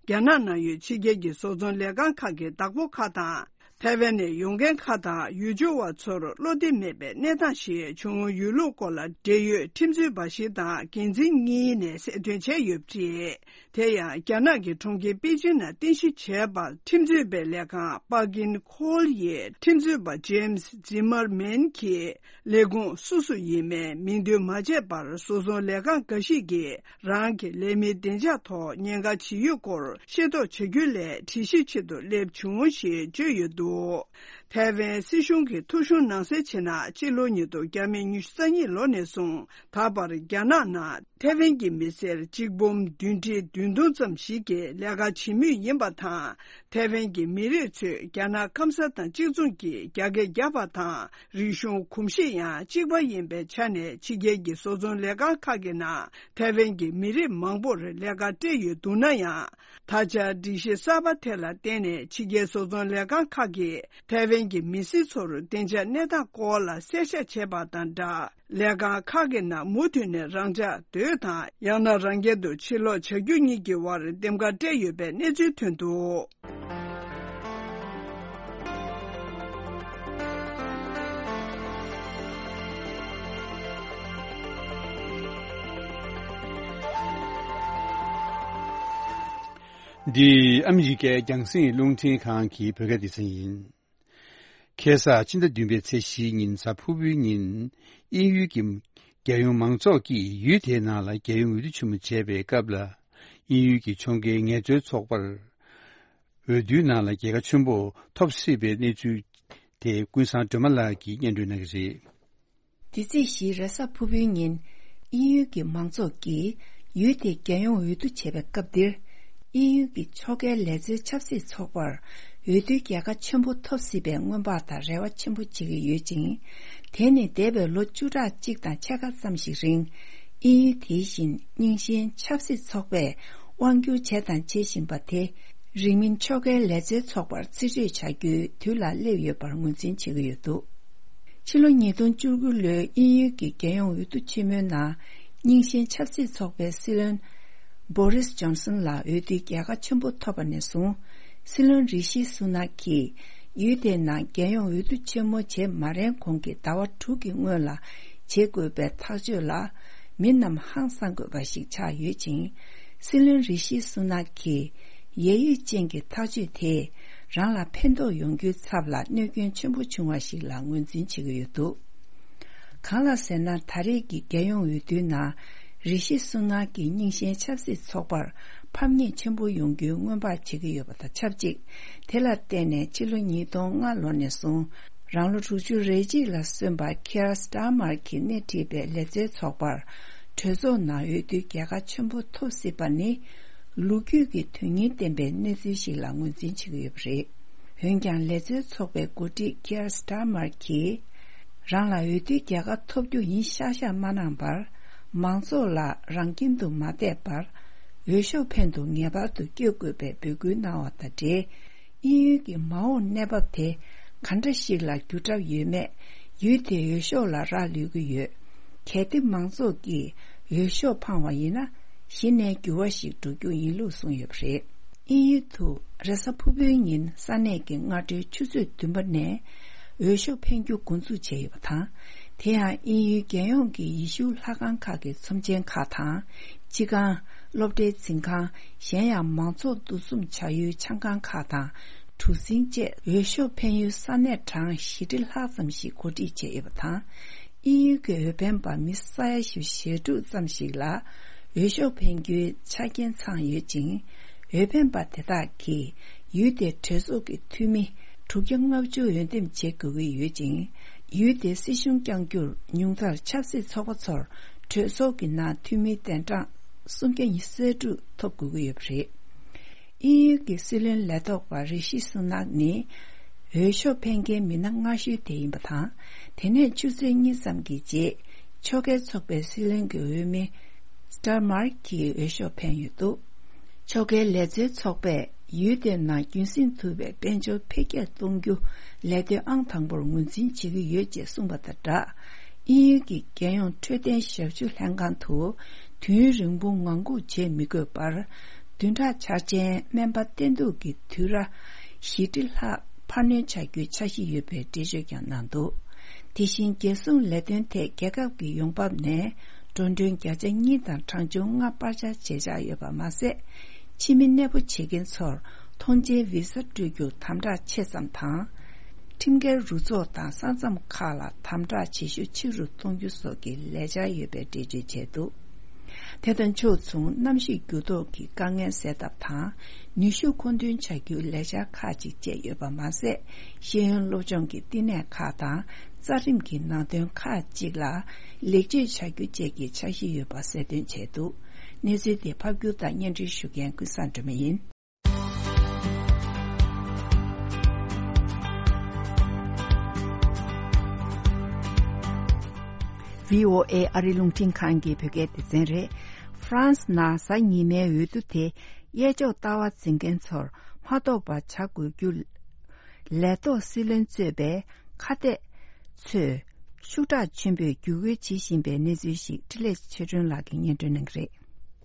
རྒྱ་ནག་ནང་ཡོད་ཕྱི་རྒྱལ་གྱི་བཟོ་ཚོང་ལས་ཁང་ཁག་གི་བདག་པོ་ཁག་དང་། ཐའེ་ཝན་ནས་ཡོང་མཁན་ཁག་དང་ཡུལ་སྐྱོང་བ་ཚོར་བློ་བདེ་མེད་པའི་གནས་སྟངས་ཤིག་བྱུང་ཡོད་ལུགས་སྐོར་ལ། འབྲེལ་ཡོད་ཁྲིམས་རྩོད་པ་ཞིག་དང་འགན་འཛིན་གཉིས་ནས་གསལ་སྟོན་བྱས་ཡོད་པ་རེད། དེ་ཡང་རྒྱ་ནག་གི་གྲོང་ཁྱེར་པེ་ཅིང་ནང་རྟེན་གཞི་བྱས་པ། ཁྲིམས་རྩོད་པའི་ལས་ཁང་པཱ་ཀིན་ཁོལ་ཡི་ཁྲིམས་རྩོད་པ་ཇེམ་སི་ཛི་མར་མན་གྱིས་ལས་ཁུངས་སུ་སུ་ཡིན་མིན་མིང་འདོན་མ་བྱས་པར། བཟོ་ཚོང་ལས་ཁང་འགའ་ཞིག་གིས་རང་གི་ལས་མིའི་བདེ་འཇགས་ཐོག་ཉེན་ཁ་ཇི་ཡོད་སྐོར་ཤེས་རྟོགས་བྱ་རྒྱུ་ལས་དྲི་ཞིབ་ཆེད་དུ་སླེབས་བྱུང་ཞེས་བརྗོད་ཡོད་འདུག། ཐའེ་ཝན་སྲིད་གཞུང་གི་ཐོ་གཞུང་ནང་གསལ་བྱས་ན། སྤྱི་ལོ་ཉིས་སྟོང་ཉི་ཤུ་རྩ་གཉིས་ལོ་ནས་བཟུང་ད་བར་རྒྱ་ནག་ནང་ཐའེ་ཝན་གྱི་མི་སེར་གཅིག་འབུམ་བདུན་ཁྲི་བདུན་སྟོང་ཙམ་ཞིག་གིས་ལས་ཀ་བྱེད་མུས་ཡིན་པ་དང་། ཐའེ་ཝན་གྱི་མི་རིགས་ཚོས་རྒྱ་ནག་སྐམ་ས་དང་གཅིག་མཚུངས་ཀྱི་རྒྱ་སྐད་རྒྱབ་པ་དང་། རིག་གཞུང་གོམས་གཤིས་ཡང་གཅིག་པ་ཡིན་པའི་ཆ་ནས། ཕྱི་རྒྱལ་གྱི་བཟོ་ཚོང་ལས་ཁང་ཁག་གི་ནང་ཐའེ་ཝན་གྱི་མི་རིགས་མང་པོར་ལས་ཀ་སྤྲད་ཡོད་འདུག་ན་ཡང་། ད་ཆ་སྒྲིག་གཞི་གསར་པ་དེ་ལ་བརྟེན་ནས་ཕྱི་རྒྱལ་བཟོ་ཚོང་ལས་ཁང་ཁག་གིས་ཐའེ་ཝན་གྱི་མི་སེར་ཚོར་བདེ་འཇགས་གནས་སྟངས་སྐོར་ལ་གསལ་བཤད་བྱས་པ་དང་སྦྲགས། ལས་ཁང་ཁག་གི་ནང་མུ་མཐུད་ནས་རང་འཇགས་སྡོད་དང་། ཡང་ན་རང་རྐྱ་དུ་ཕྱིར་ལོག་བྱ་རྒྱུ་གཉིས་ཀྱི་དབར་འདེམས་ཀ་སྤྲད་ཡོད་པའི་གནས་ཚུལ་ཐོན་འདུག། འདི་ཨ་མི་རི་ཀའི་རྒྱང་སྲིང་རླུང་འཕྲིན་ཁང་གི་བོད་སྐད་སྡེ་ཚན་ཡིན། ཁ་སང་ཕྱི་ཟླ་བདུན་པའི་ཚེས་བཞིའི་ཉིན་གཟའ་ཕུར་བུའི་ཉིན། དབྱིན་ཡུལ་གྱི་རྒྱལ་ཡོངས་མང་ཚོགས་ཀྱིས་ཡུལ་དེའི་ནང་ལ་རྒྱལ་ཡོངས་འོས་བསྡུ་ཆེན་མོ་བྱས་པའི་སྐབས་ལ། དབྱིན་ཡུལ་གྱི་ཕྱོགས་འགལ་ངལ་རྩོལ་ཚོགས་པར། འོས་བསྡུའི་ནང་ལ་རྒྱལ་ཁ་ཆེན་པོ་ཐོབ་སྲིད་པའི་གནས་ཚུལ་དེ་ཀུན་བཟང་སྒྲོལ་མ་ལགས་ཀྱིས་སྙན་སྒྲོན་གནང་གི་རེད། འདི་ཚེས་བཞིའི་རེས་གཟའ་ཕུར་བུའི་ཉིན། དབྱིན་ཡུལ་གྱི་མང་ཚོགས་ཀྱིས་ཡུལ་དེའི་རྒྱལ་ཡོངས་འོས་བསྡུ་བྱས་པའི་སྐབས་འདིར། དབྱིན་ཡུལ་གྱི་ཕྱོགས་འགལ་ལས་རྩལ་ཆབ་སྲིད་ཚོགས་པར་འོས་བསྡུའི་རྒྱལ་ཁ་ཆེན་པོ་ཐོབ་སྲིད་པའི་སྔོན་དཔག་དང་རེ་བ་ཆེན་པོ་བྱེད་ཀྱི་ཡོད་ཅིང་། དེ་ནི་འདས་པའི་ལོ་བཅུ་ཕྲག་གཅིག་དང་ཕྱེད་ཀ་ཙམ་ཞིག་རིང་། དབྱིན་ཡུལ་དེ་བཞིན་རྙིང་ཞེན་ཆབ་སྲིད་ཚོགས་པས་དབང་སྒྱུར་བྱས་དང་བྱེད་བཞིན་པ་དེ། རིང་མིན་ཕྱོགས་འགལ་ལས་རྩལ་ཚོགས་པར་རྩིས་སྤྲོད་བྱ་རྒྱུའི་དུས་ལ་སླེབས་ཡོད་པར་ངོས་འཛིན་བྱེད་ཀྱི་ཡོད་འདུག་ཕྱི་ལོ་ཉིས་སྟོང་བཅུ་དགུ་ལོའི་དབྱིན་ཡུལ་གྱི་རྒྱལ་ཡོངས་འོས་བསྡུ་ཆེན་མོའི་ནང་། རྙིང་ཞེན་ཆབ་སྲིད་ཚོགས་པའི་སྲིད་བློན་བོ་རིས་ཇོན་སན་ལ་འོས་བསྡུའི་རྒྱལ་ཁ་ཆེན་པོ་ཐོབ་པ་ནས་བཟུང་། སྲིད་བློན་རི་ཤི་སུ་ནག་གིས་ཡུལ་དེའི་ནང་རྒྱལ་ཡོངས་འོས་བསྡུ་ཆེན་མོ་བྱེད་མ་རན་གོང་གི་ཟླ་བ་དྲུག་གི་སྔོན་ལ་བྱེད་དགོས་པའི་ཐག་གཅོད་ལ། མི་རྣམས་ཧང་སང་དགོས་པ་ཞིག་ཆགས་ཡོད་ཅིང་། སྲིད་བློན་རི་ཤི་སུ་ནག་གིས་ཡད་ཡུད་ཅན་གྱི་ཐག་གཅོད་དེས་རང་ལ་ཕན་ཐོགས་ཡོང་རྒྱུའི་ཚབ་ལ་གནོད་སྐྱོན་ཆེན་པོ་བྱུང་བ་ཞིག་ལ་ངོས་འཛིན་བྱེད་ཀྱི་ཡོད་འདུག་གང་ལ་ཟེར་ན། ད་རེས་ཀྱི་རྒྱལ་ཡོངས་འོས་བསྡུའི་ནང་། རི་ཤི་སུ་ནག་གིས་རྙིང་ཞེན་ཆབ་སྲིད་ཚོགས་པར་ཕམ་ཉེས་ཆེན་པོ་ཡོང་རྒྱུའི་སྔོན་དཔག་བྱེད་ཀྱི་ཡོད་པ་དང་ཆབས་ཅིག་དེ་ལ་བརྟེན་ནས་ཕྱི་ལོ་ཉིས་སྟོང་ལྔ་ལོ་ནས་བཟུང་། རང་ལོ་དྲུག་ཅུ་རེ་གཅིག་ལ་སོན་པ་ཁི་ཡར་སི་ཏཱར་མར་གྱིས་སྣེ་ཁྲིད་པའི་ལས་རྩལ་ཚོགས་པར་གྲོས་ཚོགས་ནང་འོས་བསྡུའི་རྒྱལ་ཁ་ཆེན་པོ་ཐོབ་སྲིད་པ་ནི། ལོ་རྒྱུས་ཀྱི་དོན་སྙིང་ལྡན་པའི་གནས་ཚུལ་ཞིག་ལ་ངོས་འཛིན་བྱེད་ཀྱི་ཡོད་པ་རེད། འོན་ཀྱང་། ལས་རྩལ་ཚོགས་པའི་འགོ་ཁྲིད་ཁི་ཡར་སི་ཏཱར་མར་གྱིས། རང་ལ་འོས་བསྡུའི་རྒྱལ་ཁ་ཐོབ་རྒྱུ་ཡིན་ཤག་ཤག་མ་གནང་བར། མང་ཚོགས་ལ་རང་ཁྱིམ་དུ་མ་བསྡད་པར། འོས་ཤོག་འཕེན་དུ་ངེས་པར་དུ་བསྐྱོད་དགོས་པའི་འབོད་སྐུལ་གནང་བ་དང་འབྲེལ། དབྱིན་ཡུལ་གྱི་མ་འོངས་གནས་བབ་དེ་ག་འདྲ་ཞིག་ལ་འགྱུར་གྲབས་ཡོད་མེད། ཡུལ་དེའི་འོས་ཤོག་ལ་རག་ལུས་ཀྱི་ཡོད། གལ་ཏེ་མང་ཚོགས་ཀྱིས་འོས་ཤོག་འཕངས་བ་ཡིན་ན། གཞི་ནས་འགྱུར་བ་ཞིག་འགྲོ་རྒྱུ་ཡིན་ལུགས་གསུངས་ཡོད་པ་རེད། དབྱིན་ཡུལ་དུ་རེས་གཟའ་ཕུར་བུའི་ཉིན་ས་གནས་ཀྱི་སྔ་དྲོའི་ཆུ་ཚོད་བདུན་པ་ནས་འོས་ཤོག་འཕེན་རྒྱུ་འགོ་འཛུགས་བྱས་ཡོད་པ་དང་། དེ་ཡང་དབྱིན་ཡུལ་རྒྱལ་ཡོངས་ཀྱི་ཡེ་ཤུ་ལྷ་ཁང་ཁག་གི་ཚོམས་ཆེན་ཁག་དང་། སྤྱི་ཁང་། སློབ་གྲྭའི་འཛིན་ཁང་། གཞན་ཡང་མང་ཚོགས་འདུ་འཛོམས་བྱ་ཡུལ་ཆང་ཁང་ཁག་དང་གྲུ་གཟིངས་བཅས་འོས་ཤོག་འཕེན་ཡུལ་ས་གནས་གྲངས་བཞི་ཁྲི་ལྷག་ཙམ་ཞིག་གོ་སྒྲིག་བྱས་ཡོད་པ་དང་། དབྱིན་ཡུལ་གྱི་འོས་འཕེན་པ་མི་ས་ཡ་བཞི་བཅུ་ཞེ་དྲུག་ཙམ་ཞིག་ལ་འོས་ཤོག་འཕེན་རྒྱུའི་ཆ་རྐྱེན་ཚང་ཡོད་ཅིང་། འོས་འཕེན་པ་དེ་དག་གིས་ཡུལ་དེའི་གྲོས་ཚོགས་ཀྱི་འཐུས་མི་དྲུག་བརྒྱ་ལྔ་བཅུ་འོས་འདེམས་བྱེད་དགོས་ཀྱི་ཡོད་ཅིང་། ཡུལ་དེའི་སྲིད་གཞུང་བསྐྱང་རྒྱུར་ཉུང་མཐར་ཆབ་སྲིད་ཚོགས་པ་ཚོར་གྲོས་ཚོགས་ཀྱི་ནང་འཐུས་མིའི་གདན་གྲངས་སུམ་བརྒྱ་ཉི་ཤུ་རྩ་དྲུག་ཐོབ་དགོས་ཀྱི་ཡོད་པ་རེད། དབྱིན་ཡུལ་གྱི་སྲིད་བློན་ལས་ཐོག་པ་རི་ཤི་སུ་ནག་ནི་འོས་ཤོག་འཕེན་མཁན་མི་སྣ་སྔ་ཤོས་དེ་ཡིན་པ་དང་། དེ་ནས་ཆུ་ཚོད་གཉིས་ཙམ་གྱི་རྗེས་ཕྱོགས་འགལ་ཚོགས་པའི་སྲིད་བློན་གྱི་འོས་མི་སི་ཏར་མར་གྱིས་འོས་ཤོག་འཕེན་ཡོད་འདུག་ཕྱོགས་འགལ་ལས་རྩལ་ཚོགས་པས་ཡུལ་དེའི་ནང་རྒྱུན་སྲིང་ཐུབ་པའི་དཔལ་འབྱོར་འཕེལ་རྒྱས་གཏོང་རྒྱུ་ལས་དོན་ཨང་དང་པོར་ངོས་འཛིན་བྱེད་ཀྱི་ཡོད་ཅེས་གསུངས་པ་དང་སྦྲགས། དབྱིན་ཡུལ་གྱི་རྒྱལ་ཡོངས་འཕྲོད་བསྟེན་ཞབས་ཞུ་ལྷན་ཁང་དུ་དུས་ཡུན་རིང་པོ་ངང་སྒུག་བྱེད་མི་དགོས་པར། བདུན་ཕྲག་འཆར་ཅན་སྨན་པ་བསྟེན་གཏུག་གི་དུས་ར་བཞི་ཁྲི་ལྷག་འཕར་སྣོན་བྱ་རྒྱུའི་འཆར་གཞི་ཡོད་པའི་འགྲེལ་བརྗོད་ཀྱང་གནང་འདུག་དེ་བཞིན་རྒྱལ་སྲུང་ལས་དོན་ཐད་རྒྱལ་ཁབ་ཀྱི་ཡོང་འབབ་ནས་འགྲོ་གྲོན་བརྒྱ་ཆ་གཉིས་དང་གྲངས་ཆུང་ལྔ་སྤར་ཆ་བྱེད་འཆར་ཡོད་པ་མ་ཟད། ཕྱི་མི་གནས་སྤོ་བྱེད་མཁན་ཚོར་ཐོངས་མཆན་བི་ས་སྤྲོད་རྒྱུར་དམ་དྲག་ཆེ་ཙམ་དང་། ཁྲིམས་འགལ་རུ་ཚོགས་དང་ས་མཚམས་ཁག་ལ་དམ་དྲག་བྱེད་ཤུགས་ཆེ་རུ་གཏོང་རྒྱུ་སོགས་ཀྱི་ལས་འཆར་ཡོད་པའི་འགྲེལ་བརྗོད་བྱས་འདུག་དེ་དང་ཕྱོགས་མཚུངས། གནམ་གཤིས་འགྱུར་ལྡོག་གི་དཀའ་ངལ་སེལ་ཐབས་དང་། ནུས་ཤུགས་མཁོ་འདོན་བྱ་རྒྱུའི་ལས་འཆར་ཁག་ཅིག་བཅས་ཡོད་པ་མ་ཟད། ཤེས་ཡོན་སློབ་སྦྱོང་གི་བསྟི་གནས་ཁག་དང་། རྩ་ཁྲིམས་ཀྱི་ནང་དོན་ཁག་ཅིག་ལ་ལེགས་བཅོས་བྱ་རྒྱུ་བཅས་ཀྱི་འཆར་གཞི་ཡོད་པ་གསལ་སྟོན་བྱས་འདུག་གནས་ཚུལ་དེ་ཕབ་སྒྱུར་དང་སྙན་སྒྲོན་ཞུ་མཁན་ཀུན་བཟང་སྒྲོལ་མ་ཡིན། བྷི་ཨོ་ཨེ་ཨ་རི་རླུང་འཕྲིན་ཁང་གི་བོད་སྐད་སྡེ་ཚན་རེད། ཧྥ་རན་སི་ནང་གཟའ་ཉི་མའི་འོས་བསྡུ་དེ་གཡས་ཕྱོགས་ལྟ་བ་འཛིན་མཁན་ཚོར་མ་གཏོགས་པ་བྱ་དགོས་རྒྱུ། ལས་ཐོག་སྲིད་བློན་གཙོས་པའི་ཁ་གཏད་ཚོས་ཤུགས་དྲག་ཆེན་པོས་བརྒྱུད་སྐུལ་བྱེད་བཞིན་པའི་གནས་ཚུལ་ཞིག་འཕྲིན་ལས་ཆོས་སྒྲོན་ལགས་ཀྱིས་སྙན་སྒྲོན་གནང་གི་རེད།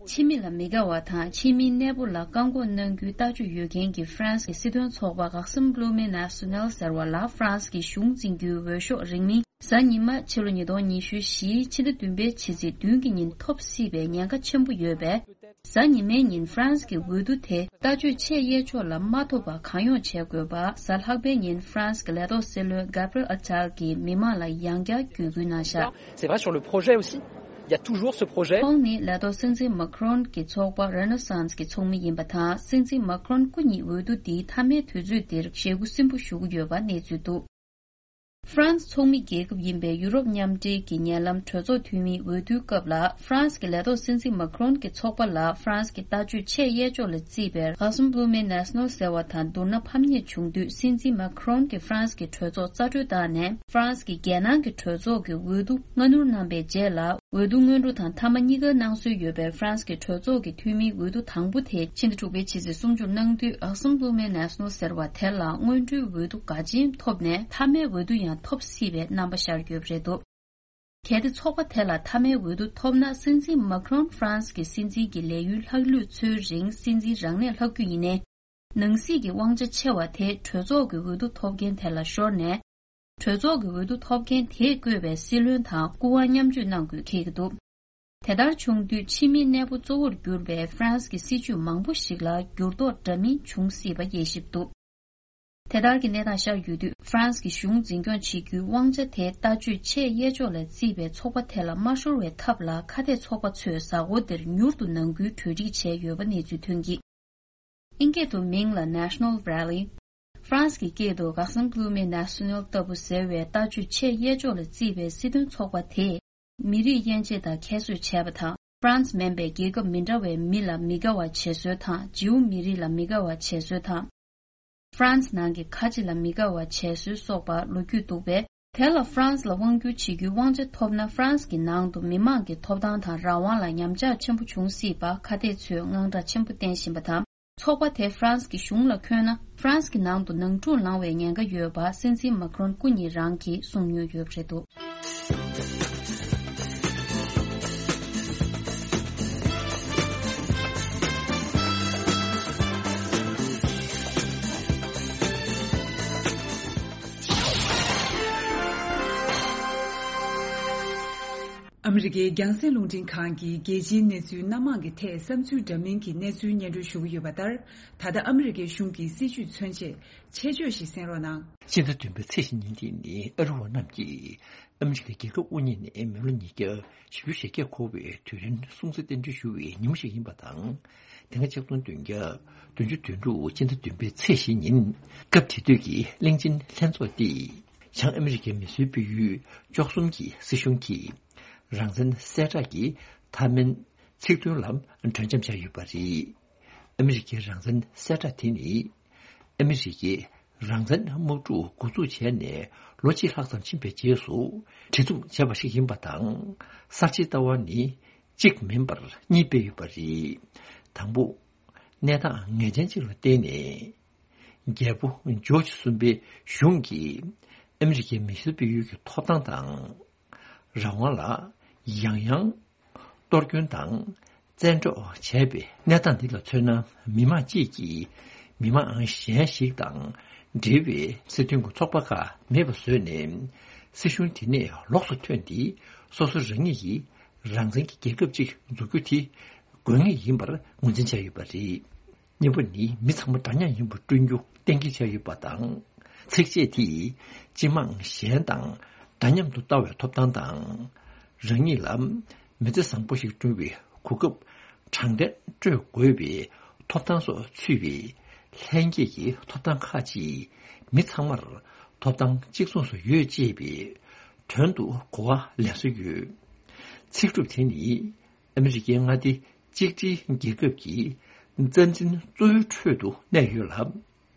ཕྱི་མི་ལ་མི་དགའ་བ་དང་ཕྱི་མིའི་གནས་སྤོ་ལ་བཀག་འགོག་གནང་རྒྱུའི་ལྟ་སྤྱོད་ཡོད་མཁན་གྱི་ཧྥ་རན་སི་གི་སྲིད་དོན་ཚོགས་པ་འགག་སེམས་བློ་མི་ནཱ་སུ་ནེལ་ཟེར་བ་ལ་ཧྥ་རན་སི་གི་གཞུང་འཛིན་རྒྱུའི་འོས་ཤོག་རིང་མིན་གཟའ་ཉི་མ་ཕྱི་ལོ་ཉིས་སྟོང་ཉི་ཤུ་བཞིའི་ཕྱི་ཟླ་བདུན་པའི་ཕྱི་ཚེས་བདུན་གྱི་ཉིན་ཐོབ་སྲིད་པའི་ཉེན་ཁ་ཆེན་པོ་ཡོད་པས། གཟའ་ཉི་མའི་ཉིན་ཧྥ་རན་སི་གི་འོས་བསྡུ་དེ་ལྟ་སྤྱོད་ཆེས་གཡས་ཕྱོགས་ལ་མ་ཐོབ་པ་གང་ཡོང་བྱེད་དགོས་པ། གཟའ་ལྷག་པའི་ཉིན་ཧྥ་རན་སི་གི་ལས་ཐོག་སྲིད་བློན་Gabriel Attal གྱིས་མི་མང་ལ་ཡང་བསྐྱར་བརྒྱུད་སྐུལ་གནང་བཞག C'est vrai, sur le projet aussi, il y a toujours ce projet. ཁོང་ནི་ལས་ཐོག་སྲིད་འཛིན་Macron གྱི་ཚོགས་པ་Renaissance གྱི་ཚོགས་མི་ཡིན་པ་དང་། སྲིད་འཛིན་Macron སྐུ་ཉིད་འོས་བསྡུ་འདིའི་མཐའ་མའི་དུས་ཚོད་འདིར་ཞེ་དགུ་སིམ་པོ་ཞུ་གི་ཡོད་པ་གནས་ཚུལ་འདུག་ཧྥ་རན་སི་ཚོགས་མི་རྒྱལ་ཁབ་ཡིན་པའི་ཡུ་རོབ་མཉམ་འབྲེལ་གྱི་ཉེ་ལམ་གྲོས་ཚོགས་འཐུས་མིའི་འོས་བསྡུའི་སྐབས་ལ། ཧྥ་རན་སི་གི་ལས་ཐོག་སྲིད་འཛིན་Macron གྱི་ཚོགས་པ་ལ་ཧྥ་རན་སི་གི་ལྟ་སྤྱོད་ཆེས་གཡས་ཕྱོགས་ལ་བརྩིས་པའི་Rassemblement National ཟེར་བ་དང་བསྡུར་ན་ཕམ་ཉེས་བྱུང་དུས། སྲིད་འཛིན་Macron གྱིས་ཧྥ་རན་སི་གི་གྲོས་ཚོགས་རྩ་འགྲོལ་བཏང་ནས། ཧྥ་རན་སི་གི་རྒྱལ་ནང་གི་གྲོས་ཚོགས་ཀྱི་འོས་བསྡུ་སྔ་སྣུར་གནང་པའི་རྗེས་ལ། འོས་བསྡུ་སྔོན་འགྲོ་དང་མཐའ་མ་གཉིས་ཀ་གནང་སྲོལ་ཡོད་པའི་ཧྥ་རན་སི་གི་གྲོས་ཚོགས་ཀྱི་འཐུས་མིའི་འོས་བསྡུ་དང་པོ་དེ་ཕྱི་ཟླ་དྲུག་པའི་ཕྱི་ཚེས་སུམ་ཅུར་གནང་དུས། Rassemblement National ཟེར་བ་དེ་ལ་སྔོན་འགྲོའི་འོས་བསྡུ་འགའ་ཅན་ཐོབ་ནས། མཐའ་མའི་འོས་བསྡུ་ཡང་ཐོབ་སྲིད་པའི་རྣམ་པ་ཤར་ཡོད་པ་རེད་འདུག་གལ་ཏེ་ཚོགས་པ་དེ་ལ་མཐའ་མའི་འོས་བསྡུ་ཐོབ་ན། སྲིད་འཛིན་Macron ཧྥ་རན་སི་གི་སྲིད་འཛིན་གྱི་ལས་ཡུན་ལྷག་ལུས་ཚོའི་རིང་སྲིད་འཛིན་རང་གནས་ལྷག་རྒྱུ་ཡིན་ནའི། ནང་སྲིད་ཀྱི་དབང་ཆ་ཆེ་བ་དེ་གྲོས་ཚོགས་ཀྱི་འོས་བསྡུ་ཐོབ་མཁན་དེ་ལ་ཤོར་ནས། གྲོས་ཚོགས་ཀྱི་འོས་བསྡུ་ཐོབ་མཁན་དེས་བསྐོས་པའི་སྲིད་བློན་དང་སྐུ་དབང་མཉམ་སྤྱོད་གནང་དགོས་འཁེལ་གྱི་འདུག་དེ་ལྟར་བྱུང་དུས། ཕྱི་མིའི་གནས་སྤོ་གཙོ་བོར་གྱུར་པའི་ཧྥ་རན་སི་གི་སྲིད་ཇུས་མང་པོ་ཞིག་ལ་འགྱུར་ལྡོག་འདྲ་མིན་འབྱུང་སྲིད་པ་དབྱེ་ཞིབ་འདུག་དེ་ལྟར་གྱི་གནས་སྟངས་ཤར་ཡོད་དུས། ཧྥ་རན་སི་གི་གཞུང་འཛིན་སྐྱོང་བྱེད་རྒྱུའི་དབང་ཆ་དེ་ལྟ་སྤྱོད་ཆེས་གཡས་ཕྱོགས་ལ་བརྩིས་པའི་ཚོགས་པ་དེ་ལ་མ་ཤོར་བའི་ཐབས་ལ། ཁ་གཏད་ཚོགས་པ་ཚོས་གཟའ་འཁོར་འདིར་མྱུར་དུ་ནང་ཁུལ་གྲོས་འགྲིག་བྱས་ཡོད་པ་གནས་ཚུལ་ཐོན་གྱིས། ཨིན་སྐད་དུ་མིང་ལ་National Rally། ཧྥ་རན་སི་གི་སྐད་དུ་Rassemblement National ལྟ་བུ་ཟེར་བའི་ལྟ་སྤྱོད་ཆེས་གཡས་ཕྱོགས་ལ་བརྩིས་པའི་སྲིད་དོན་ཚོགས་པ་དེས། མི་རིགས་དབྱེ་འབྱེད་དང་ཁྱད་གསོད་བྱས་པ་དང་། ཧྥ་རན་སི་མིན་པའི་རྒྱལ་ཁབ་མི་འདྲ་བའི་མི་ལ་མི་དགའ་བ་བྱེད་སྲོལ་དང་། ཇིའུ་མི་རིགས་ལ་མི་དགའ་བ་བྱེད་སྲོལ་དང་། ཧྥ་རན་སི་ནང་གི་ཁ་ཆེ་ལ་མི་དགའ་བ་བྱེད་སྲོལ་སོགས་པ་ལོ་རྒྱུས་འདུག་པས། དེ་ལ་ཧྥ་རན་སི་ལ་དབང་བསྒྱུར་བྱེད་རྒྱུའི་དབང་ཆ་ཐོབ་ན། ཧྥ་རན་སི་གི་ནང་དུ་མི་མང་གི་ཐོབ་ཐང་དང་རང་དབང་ལ་ཉམས་ཆག་ཆེན་པོ་འབྱུང་སྲིད་པ། ཁ་གཏད་ཚོས་དངངས་སྐྲག་ཆེན་པོ་བསྟན་བཞིན་པ་དང་། ཚོགས་པ་དེ་ཧྥ་རན་སི་གི་གཞུང་ལ་འཁོད་ན། ཧྥ་རན་སི་གི་ནང་དུ་ནང་འཁྲུག་ལངས་བའི་ཉེན་ཁ་ཡོད་པ། སྲིད་འཛིན་མཱ་ཁི་རོན་སྐུ་ཉིད་རང་གིས་གསུངས་མྱོང་ཡོད་པ་རེད་འདུག་ཨ་མི་རི་ཀའི་རྒྱང་སྲིང་རླུང་འཕྲིན་ཁང་གིས་རྒྱལ་སྤྱིའི་གནས་ཚུལ་སྣ་མང་གི་ཐད་བསམ་ཚུལ་འདྲ་མིན་གྱི་གནས་ཚུལ་སྙན་སྒྲོན་ཞུ་གི་ཡོད་པ་ལྟར། ད་ལྟ་ཨ་མི་རི་ཀའི་གཞུང་གི་སྲིད་བྱུས་མཚོན་ཆེད་ཆེད་བརྗོད་ཞིག་གསན་རོགས་གནང་། སྤྱི་ཟླ་བདུན་པའི་ཚེས་བཞི་ཉིན་དེ་ནི་ཨ་རི་བ་རྣམས་ཀྱིས་ཨ་མི་རི་ཀའི་རྒྱལ་ཁབ་དབུ་བརྙེས་ནས་མི་ལོ་ཉིས་བརྒྱ་བཞི་བཅུ་ཞེ་བརྒྱད་འཁོར་བའི་དུས་དྲན་སྲུང་བརྩི་རྟེན་འབྲེལ་ཞུ་བའི་ཉིན་མོ་ཞིག་ཡིན་པ་དང་། དེ་སྔ་ཆིག་སྟོང་བདུན་བརྒྱ་བདུན་ཅུ་དོན་དྲུག་སྤྱི་ཟླ་བདུན་པའི་ཚེས་བཞི་ཉིན། སྐབས་དེ་དུས་ཀྱི་གླིང་ཆེན་ལྷན་ཚོགས་དེས་བྱང་ཨ་མི་རི་ཀའི་མི་སེར་སྤེལ་ཡུལ་བཅུ་གསུམ་གྱི་སྲིད་གཞུང་གིས་རང་བཙན་གསལ་བསྒྲགས་ཀྱི་མཐའ་མའི་ཚིག་དོན་ལ་གྲོས་འཆམ་བྱས་ཡོད་པ་རེད། ཨ་མི་རི་ཀའི་རང་བཙན་གསལ་བསྒྲགས་དེ་ནི། ཨ་མི་རི་ཀས་རང་བཙན་དམག་འཁྲུག་འགོ་འཛུགས་བྱས་ནས་ལོ་གཅིག་ལྷག་ཙམ་ཕྱིན་པའི་རྗེས་སུ། གྲོས་མཐུན་བྱས་པ་ཞིག་ཡིན་པ་དང་། གསར་བརྗེའི་ལྟ་བ་ནི་གཅིག་མིན་པར་གཉིས་སྤེལ་ཡོད་པ་རེད། དང་པོ། གནས་སྟངས་ངེས་ཅན་ཅིག་ལ་བརྟེན་ནས། རྒྱལ་པོ་ཇོརྗ་གསུམ་པའི་གཞུང་གིས་ཨ་མི་རི་ཀའི་མི་སེར་སྤེལ་ཡུལ་གྱི་ཐོབ་ཐང་དང་། རང་དབང་ལ་ཡང་ཡང་གཏོར་སྐྱོན་དང་བཙན་འཕྲོག་བྱས་པའི་གནས་སྟངས་འདི་ལ་མཚོན་ན། མི་མང་གཅིག་གིས་མི་མང་གཞན་ཞིག་དང་འབྲེལ་བའི་སྲིད་དོན་གྱི་ཚོགས་པ་ཁག་མེད་པ་བཟོས་ནས། སྲིད་གཞུང་དེ་ནས་ལོགས་སུ་ཐོན་ཏེ། སོ་སོ་རང་ཉིད་ཀྱི་རང་བཙན་གྱི་རྒྱལ་ཁབ་ཅིག་འཛུགས་རྒྱུ་དེ་དགོས་ངེས་ཡིན་པར་ངོས་འཛིན་བྱས་ཡོད་པ་རེད། གཉིས་པ་ནི། མི་ཚང་མ་འདྲ་མཉམ་ཡིན་པ་བསྐྲུན་རྒྱུ་གཏན་འཁེལ་བྱས་ཡོད་པ་དང་། ཚིགས་བཅད་དེས་སྤྱི་དམངས་གཞན་དང་འདྲ་མཉམ་དུ་ལྟ་བའི་ཐོབ་ཐང་དང་། རང་ཉིད་ལ་མི་ཚེ་བཟང་པོ་ཞིག་བསྐྲུན་པའི་གོ་སྐབས་དྲང་བདེན་སྤྲོད་དགོས་པའི་ཐོབ་ཐང་སོགས་ཚུད་པའི་ལྷན་སྐྱེས་ཀྱི་ཐོབ་ཐང་ཁག་ཅིག་མི་ཚང་མར་ཐོབ་ཐང་གཅིག་མཚུངས་སུ་ཡོད་ཅེས་པའི་དོན་དུ་གོ་བ་ལེན་སྲོལ་ཡོད། ཚིག་གྲུབ་དེ་ནི། ཨ་མི་རི་ཀའི་མངའ་སྡེ་གཅིག་སྒྲིལ་རྒྱལ་ཁབ་ཀྱི་རྩ་འཛིན་གཙོ་བོའི་ཁྲོད་དུ་གནས་ཡོད་ལ།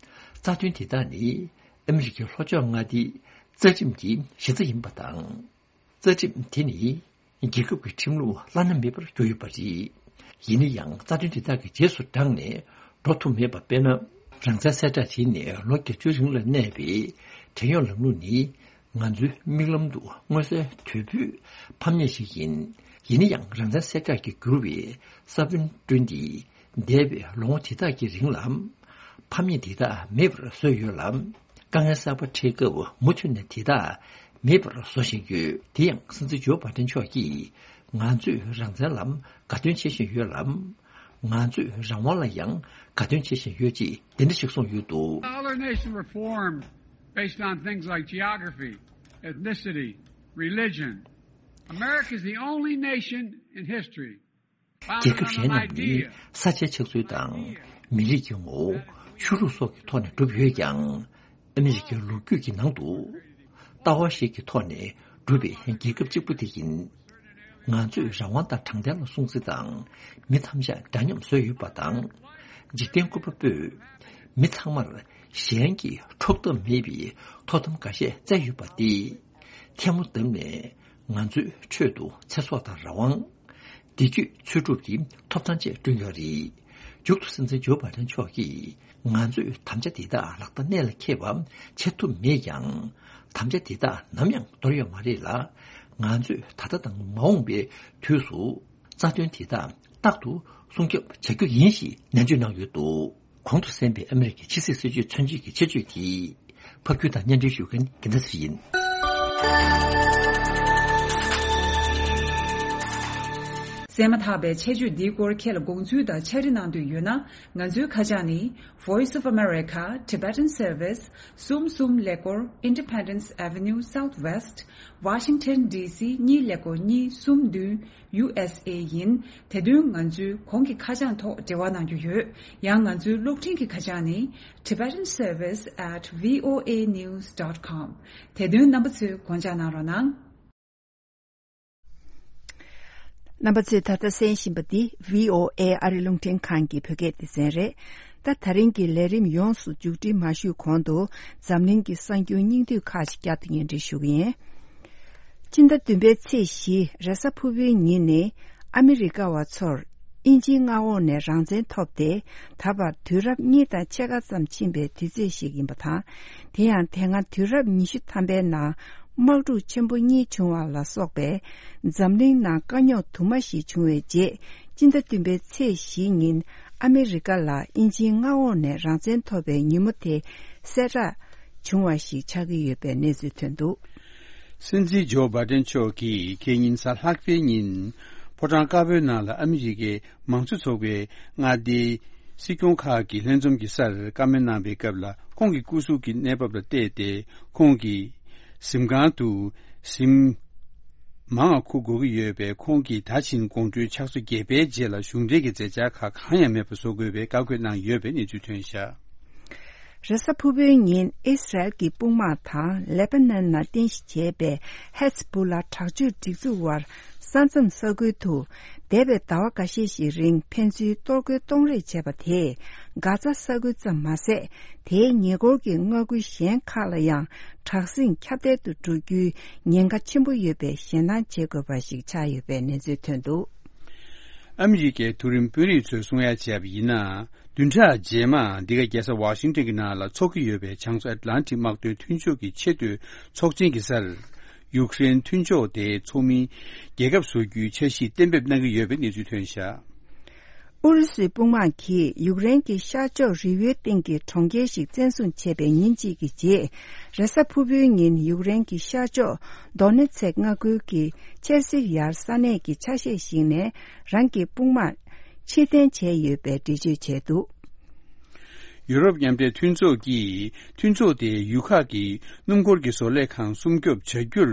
རྩ་དོན་དེ་དག་ནི་ཨ་མི་རི་ཀའི་ལྷོ་ཕྱོགས་མངའ་སྡེའི་རྩ་ཁྲིམས་ཀྱི་གཞི་རྩ་ཡིན་པ་དང་། རྩ་ཁྲིམས་དེ་ནི་རྒྱལ་ཁབ་ཀྱི་ཁྲིམས་ལུགས་བླ་ན་མེད་པར་གྱུར་ཡོད་པ་རེད། ཡིན་ན་ཡང་རྩ་དོན་དེ་དག་གི་རྗེས་སུ་འབྲངས་ནས་འགྲོ་ཐུབ་མེད་པ། དཔེར་ན། རང་བཙན་གསལ་བསྒྲགས་བྱས་ནས་ལོ་བརྒྱད་ཅུའི་རིང་ལ་གནས་པའི་བྲན་གཡོག་ལམ་ལུགས་ནི། ང་ཚོའི་མིག་ལམ་དུ་མངོན་གསལ་དོད་པོས་ཕམ་ཉེས་ཤིག་ཡིན། ཡིན་ན་ཡང་རང་བཙན་གསལ་བསྒྲགས་ཀྱིས་བསྒྱུར་བའི་ས་བོན་བསྐྲུན་ཏེ། འདས་པའི་ལོ་ངོ་དེ་དག་གི་རིང་ལ་ཕམ་ཉེས་འདི་དག་མེད་པར་བཟོས་ཡོད་ལ། དཀའ་ངལ་གསར་པ་འཕྲད་སྐབས་མུ་མཐུད་ནས་དེ་དག་མེད་པར་བཟོ་བཞིན་ཡོད། དེ་ཡང་སྲིད་འཛིན་ཇོ་བྷ་དན་མཆོག་གིས་ང་ཚོས་རང་བཙན་ལ་དགའ་སྟོན་བྱེད་བཞིན་ཡོད་ལ། ང་ཚོས་རང་དབང་ལ་ཡང་དགའ་སྟོན་བྱེད་བཞིན་ཡོད་ཅེས་འདི་འདྲ་ཞིག་གསུངས་ཡོད་འདུག། All our nation reform based on things like geography, ethnicity, religion. America is the only nation in history founded on an idea. རྒྱལ་ཁབ་གཞན་རྣམས་ནི་ས་ཆའི་ཆགས་ཚུལ་དང་མི་རིགས་ཀྱི་ངོ་བོ། ཆོས་ལུགས་སོགས་ཀྱི་ཐོག་ནས་གྲུབ་ཡོད་ཀྱང་། ཨ་མི་རི་ཀའི་ལོ་རྒྱུས་ཀྱི་ནང་དུ་ལྟ་བ་ཞིག་གི་ཐོག་ནས་གྲུབ་པའི་རྒྱལ་ཁབ་གཅིག་པུ་དེ་ཡིན། ང་ཚོས་རང་དབང་དང་དྲང་བདེན་ལ་སྲུང་བརྩི་དང་མི་ཐམས་ཅད་འདྲ་མཉམ་བཟོས་ཡོད་པ་དང་། འཇིག་རྟེན་བཀོད་པ་པོས་མི་ཚང་མར་གཞན་གྱིས་འཕྲོག་ཐབས་མེད་པའི་ཐོབ་ཐང་འགའ་ཤས་བསྩལ་ཡོད་པ་སྟེ། ཐལ་མོ་བརྡབས་ནས་ང་ཚོའི་ཁྲོད་དུ་ཚེ་སྲོག་དང་རང་དབང་། བདེ་སྐྱིད་འཚོལ་སྒྲུབ་ཀྱི་ཐོབ་ཐང་བཅས་བསྐྲུན་ཡོད་རེད། མཇུག་ཏུ་སྲིད་འཛིན་ཇོ་བྷའི་ཌེན་མཆོག་གིས་ང་ཚོས་དམ་བཅའ་འདི་དག་ལག་བརྡ་གནད་ལ་འཁེལ་བ་བྱེད་ཐུབ་མེད་ཀྱང་། དམ་བཅའ་འདི་དག་ནམ་ཡང་འདོར་ཡོད་མ་རེད་ལ། ང་ཚོས་ད་ལྟ་དང་མ་འོངས་པའི་དུས་སུ་རྩ་དོན་འདི་དག་རྟག་ཏུ་སྲུང་སྐྱོབ་བྱ་རྒྱུ་ཡིན་ཞེས་ནན་བརྗོད་གནང་ཡོད་འདུག། གོང་དུ་གསན་པའི་ཨ་མི་རི་ཀའི་ཕྱི་སྲིད་སྲིད་ཇུས་མཚོན་བྱེད་ཀྱི་ཆེད་བརྗོད་དེ། ཕབ་སྒྱུར་དང་སྙན་སྒྲོན་ཞུ་མཁན་རྒྱལ་མཚན་ཡིན། གསན་མ་ཐག་པའི་ཆེད་བརྗོད་འདིའི་སྐོར་ཁྱེད་ལ་དགོངས་ཚུལ་དང་ཕྱག་བྲིས་གནང་འདོད་ཡོད་ན། ང་ཚོའི་ཁ་བྱང་ནི། Voice of America, Tibetan Service, གསུམ་གསུམ་ཀླད་ཀོར། Independence Avenue Southwest, Washington D C གཉིས་ཀླད་ཀོར་གཉིས་གསུམ་བདུན། ཡུ་ཨེས་ཨེ་ཡིན། དེ་དོན་ང་ཚོའི་གོང་གི་ཁ་བྱང་ཐོག་འབྲེལ་བ་གནང་རྒྱུ་ཡོད། ཡང་ང་ཚོའི་གློག་འཕྲིན་གྱི་ཁ་བྱང་ནི། Tibetan Service at V O A news dot com། དེ་དོན་རྣམ་པ་ཚོས་དགོངས་འཇགས་གནང་རོགས་གནང་། རྣམ་པ་ཚོས་ད་ལྟ་གསན་བཞིན་པ་འདི་V O A ཨ་རི་རླུང་འཕྲིན་ཁང་གི་བོད་སྐད་སྡེ་ཚན་རེད། ད་ད་རིང་གི་ལས་རིམ་ཡོངས་སུ་མཇུག་སྒྲིལ་མ་ཞུས་གོང་དུ་འཛམ་གླིང་གི་གསར་འགྱུར་སྙིང་བསྡུས་ཁག་ཅིག་བསྐྱར་དུ་སྙན་སྒྲོན་ཞུ་གི་ཡིན། སྤྱི་ཟླ་བདུན་པའི་ཚེས་བཞི་རེས་གཟའ་ཕུར་བུའི་ཉིན་ནི་ཨ་མི་རི་ཀ་བ་ཚོར་དབྱིན་ཇིའི་མངའ་འོག་ནས་རང་བཙན་ཐོབ་སྟེ། ད་བར་དུས་རབས་གཉིས་དང་ཕྱེད་ཀ་ཙམ་ཕྱིན་པའི་དུས་ཚོད་ཞིག་ཡིན་པ་དང་། དེ་ཡང་དེ་སྔ་དུས་རབས་ཉི་ཤུ་ཐམ་པའི་ནང་དམག་འཁྲུག་ཆེན་པོ་གཉིས་བྱུང་བ་ལ་སོགས་པའི་འཛམ་གླིང་ནང་དཀའ་རྙོག་དུ་མ་ཞིག་བྱུང་བའི་རྗེས། སྤྱི་ཟླ་བདུན་པའི་ཚེས་བཞི་ཉིན་ཨ་མི་རི་ཀ་ལ་དབྱིན་ཇིའི་མངའ་འོག་ནས་རང་བཙན་ཐོབ་པའི་ཉིན་མོ་དེ་གསལ་བསྒྲགས་བྱུང་བ་ཞིག་ཆགས་ཀྱི་ཡོད་པའི་གནས་ཚུལ་ཐོན་འདུག། སྲིད་འཛིན་ཇོ་བྷའི་ཌེན་མཆོག་གིས་ཁེ་ཉིན་གཟའ་ལྷག་པའི་ཉིན་ཕོ་བྲང་དཀར་པོའི་ནང་ལ་ཨ་མི་རི་ཀའི་མང་གཙོ་ཚོགས་པའི་མངའ་སྡེའི་སྲིད་སྐྱོང་ཁག་གི་ལྷན་འཛོམས་ཀྱི་སར་བཀའ་མོལ་གནང་པའི་སྐབས་ལ། ཁོང་གི་སྐུ་གཟུགས་ཀྱི་གནས་བབ་ལ་བལྟས་ཏེ། ཁོང་གི་གཟིམ་ཁང་དུ་གཟིམ་མང་བ་འཁུར་དགོས་ཀྱི་ཡོད་པས། ཁོང་གིས་ད་ཕྱིན་དགོང་དྲོའི་ཕྱག་ཚོད་བརྒྱད་པའི་རྗེས་ལ་གཞུང་འབྲེལ་གྱི་མཛད་འཆར་ཁག་གང་ཡང་མེད་པ་བཟོ་དགོས་པའི་བཀའ་བཀོད་གནང་ཡོད་པའི་གནས་ཚུལ་ཐོན་བཞག། རེས་གཟའ་ཕུར་བུའི་ཉིན་ཨིས་རལ་གྱི་དཔུང་དམག་དང་ལེ་པ་ནན་ནང་རྟེན་གཞི་བྱས་པའི་ཧེ་ཛ་བུ་ལ་དྲག་སྤྱོད་སྒྲིག་འཛུགས་དབར་ས་མཚམས་ས་ཁུལ་དུ་འདས་པའི་ཟླ་བ་འགའ་ཤས་ཤིག་རིང་ཕན་ཚུན་གཏོར་རྒོལ་གཏོང་རེས་བྱས་པ་དེས་གྷ་ཛ་ས་ཁུལ་ཙམ་མ་ཟད། དེའི་ཉེ་འཁོར་གྱི་མངའ་ཁུལ་གཞན་ཁག་ལ་ཡང་དྲག་ཟིང་ཁྱབ་གདལ་དུ་འགྲོ་རྒྱུའི་ཉེན་ཁ་ཆེན་པོ་ཡོད་པའི་ཞེད་སྣང་བྱེད་དགོས་པ་ཞིག་ཆགས་ཡོད་པའི་གནས་ཚུལ་ཐོན་འདུག། ཨ་མི་རི་ཀའི་མཐོ་རིམ་དཔོན་རིགས་ཚོས་གསུང་ཡ་བྱས་པ་ཡིན་ན། བདུན་ཕྲག་རྗེས་མ་འདི་ག་རྒྱལ་ས་ཝ་ཤིང་ཊོན་གྱི་ནང་ལ་འཚོགས་ཀྱི་ཡོད་པའི་བྱང་མཚོ་ཨེཊ་ལན་ཊིག་དམག་དོན་མཐུན་ཕྱོགས་ཀྱི་ཆེས་མཐོའི་ཚོགས་ཆེན་གྱི་སར། ཡུཀ་རེན་མཐུན་ཕྱོགས་དེ་ཚོགས་མིའི་རྒྱལ་ཁབ་བཟོ་རྒྱུའི་འཆར་གཞི་གཏན་འབེབས་གནང་གི་ཡོད་པའི་གནས་ཚུལ་ཐོན་བཞག། ཨུ་རུ་སུའི་དཔུང་དམག་གིས་ཡུཀ་རེན་གྱི་ཤར་ཕྱོགས་རི་བོའི་སྟེང་གི་གྲོང་ཁྱེར་ཞིག་བཙན་བཟུང་བྱས་པའི་ཉིན་གཅིག་གི་རྗེས། རེས་གཟའ་ཕུར་བུའི་ཉིན་ཡུཀ་རེན་གྱི་ཤར་ཕྱོགས་དོ་ནེ་ཚེག་མངའ་ཁུལ་གྱི་ཆེར་སི་ཡར་ས་གནས་ཀྱི་ཆ་ཤས་ཤིག་ནས་རང་གི་དཔུང་དམག་ཕྱིར་འཐེན་བྱས་ཡོད་པའི་འགྲེལ་བརྗོད་བྱས་འདུག། ཡུ་རོབ་མཉམ་འབྲེལ་མཐུན་ཚོགས་ཀྱིས་མཐུན་ཚོགས་དེའི་ཡུལ་ཁག་གི་སྣུམ་འཁོར་གྱི་བཟོ་ལས་ཁང་སྲུང་སྐྱོབ་བྱ་རྒྱུར།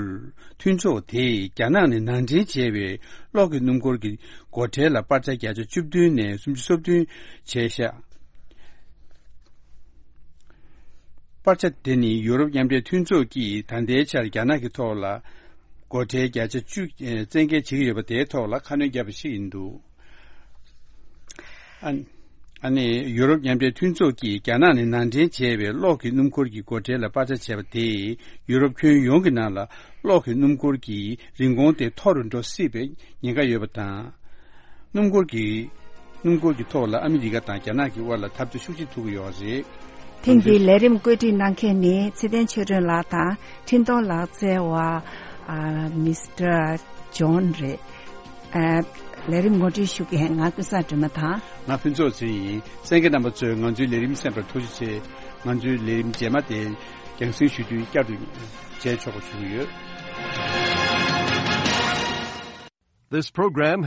མཐུན་ཚོགས་དེས་རྒྱ་ནག་ནས་ནང་འདྲེན་བྱས་པའི་གློག་གི་སྣུམ་འཁོར་གྱི་སྒོ་ཁྲལ་ལ་པར་ཆ་བརྒྱ་ཆ་བཅུ་བདུན་ནས་སུམ་ཅུ་སོ་བདུན་བྱས་ཤག། པར་ཆ་དེ་ནི་ཡུ་རོབ་མཉམ་འབྲེལ་མཐུན་ཚོགས་ཀྱིས་ད་ལྟའི་ཆར་རྒྱ་ནག་གི་ཐོག་ལ་སྒོ་ཁྲལ་བརྒྱ་ཆ་བཅུ་བཙན་འགེལ་བྱེད་ཀྱི་ཡོད་པ་དེའི་ཐོག་ལ་ཁ་སྣོན་བརྒྱབ་པ་ཞིག་ཡིན་འདུག། ཨ་ཨ་ནི་ཡུ་རོབ་མཉམ་འབྲེལ་མཐུན་ཚོགས་ཀྱིས་རྒྱ་ནག་ནས་ནང་འདྲེན་བྱས་པའི་གློག་གི་སྣུམ་འཁོར་གྱི་སྒོ་ཁྲལ་ལ་པར་ཆ་བྱས་པ་དེས་ཡུ་རོབ་ཁྱོན་ཡོངས་ཀྱི་ནང་ལ་གློག་གི་སྣུམ་འཁོར་གྱི་རིན་གོང་དེ་མཐོ་རུ་འགྲོ་སྲིད་པའི་ཉེན་ཁ་ཡོད་པ་དང་། སྣུམ་འཁོར་གྱི་སྣུམ་འཁོར་གྱི་ཐོག་ལ་ཨ་མི་རི་ཀ་དང་རྒྱ་ནག་གི་དབར་ལ་འཐབ་རྩོད་ཤུགས་ཆེ་ཐུག་གི་ཡོད་རེད། ཐེངས་འདིའི་ལས་རིམ་བཀོད་སྒྲིག་གནང་མཁན་ནི་ཚེ་བརྟན་ཆོས་སྒྲོན་ལགས་དང་འཕྲིན་གཏོང་ལག་རྩལ་བ་ཨ་མིས་ཊར་ཇོན་རེད། ཨ་ལས་རིམ་ངོ་སྤྲོད་ཞུ་མཁན་ང་ཀུན་བཟང་སྒྲོལ་མ་དང་། ང་ཕུན་ཚོགས་ཚེ་ཡིན། གསན་མཁན་རྣམ་པ་ཚོས་ང་ཚོའི་ལས་རིམ་གསན་པར་ཐུགས་རྗེ་ཆེ། ང་ཚོའི་ལས་རིམ་རྗེས་མ་དེ་རྒྱང་སྲིང་ཞུ་དུས་བསྐྱར་དུ་མཇལ་ཆོག་པ་ཞུ་གི་ཡོད། This program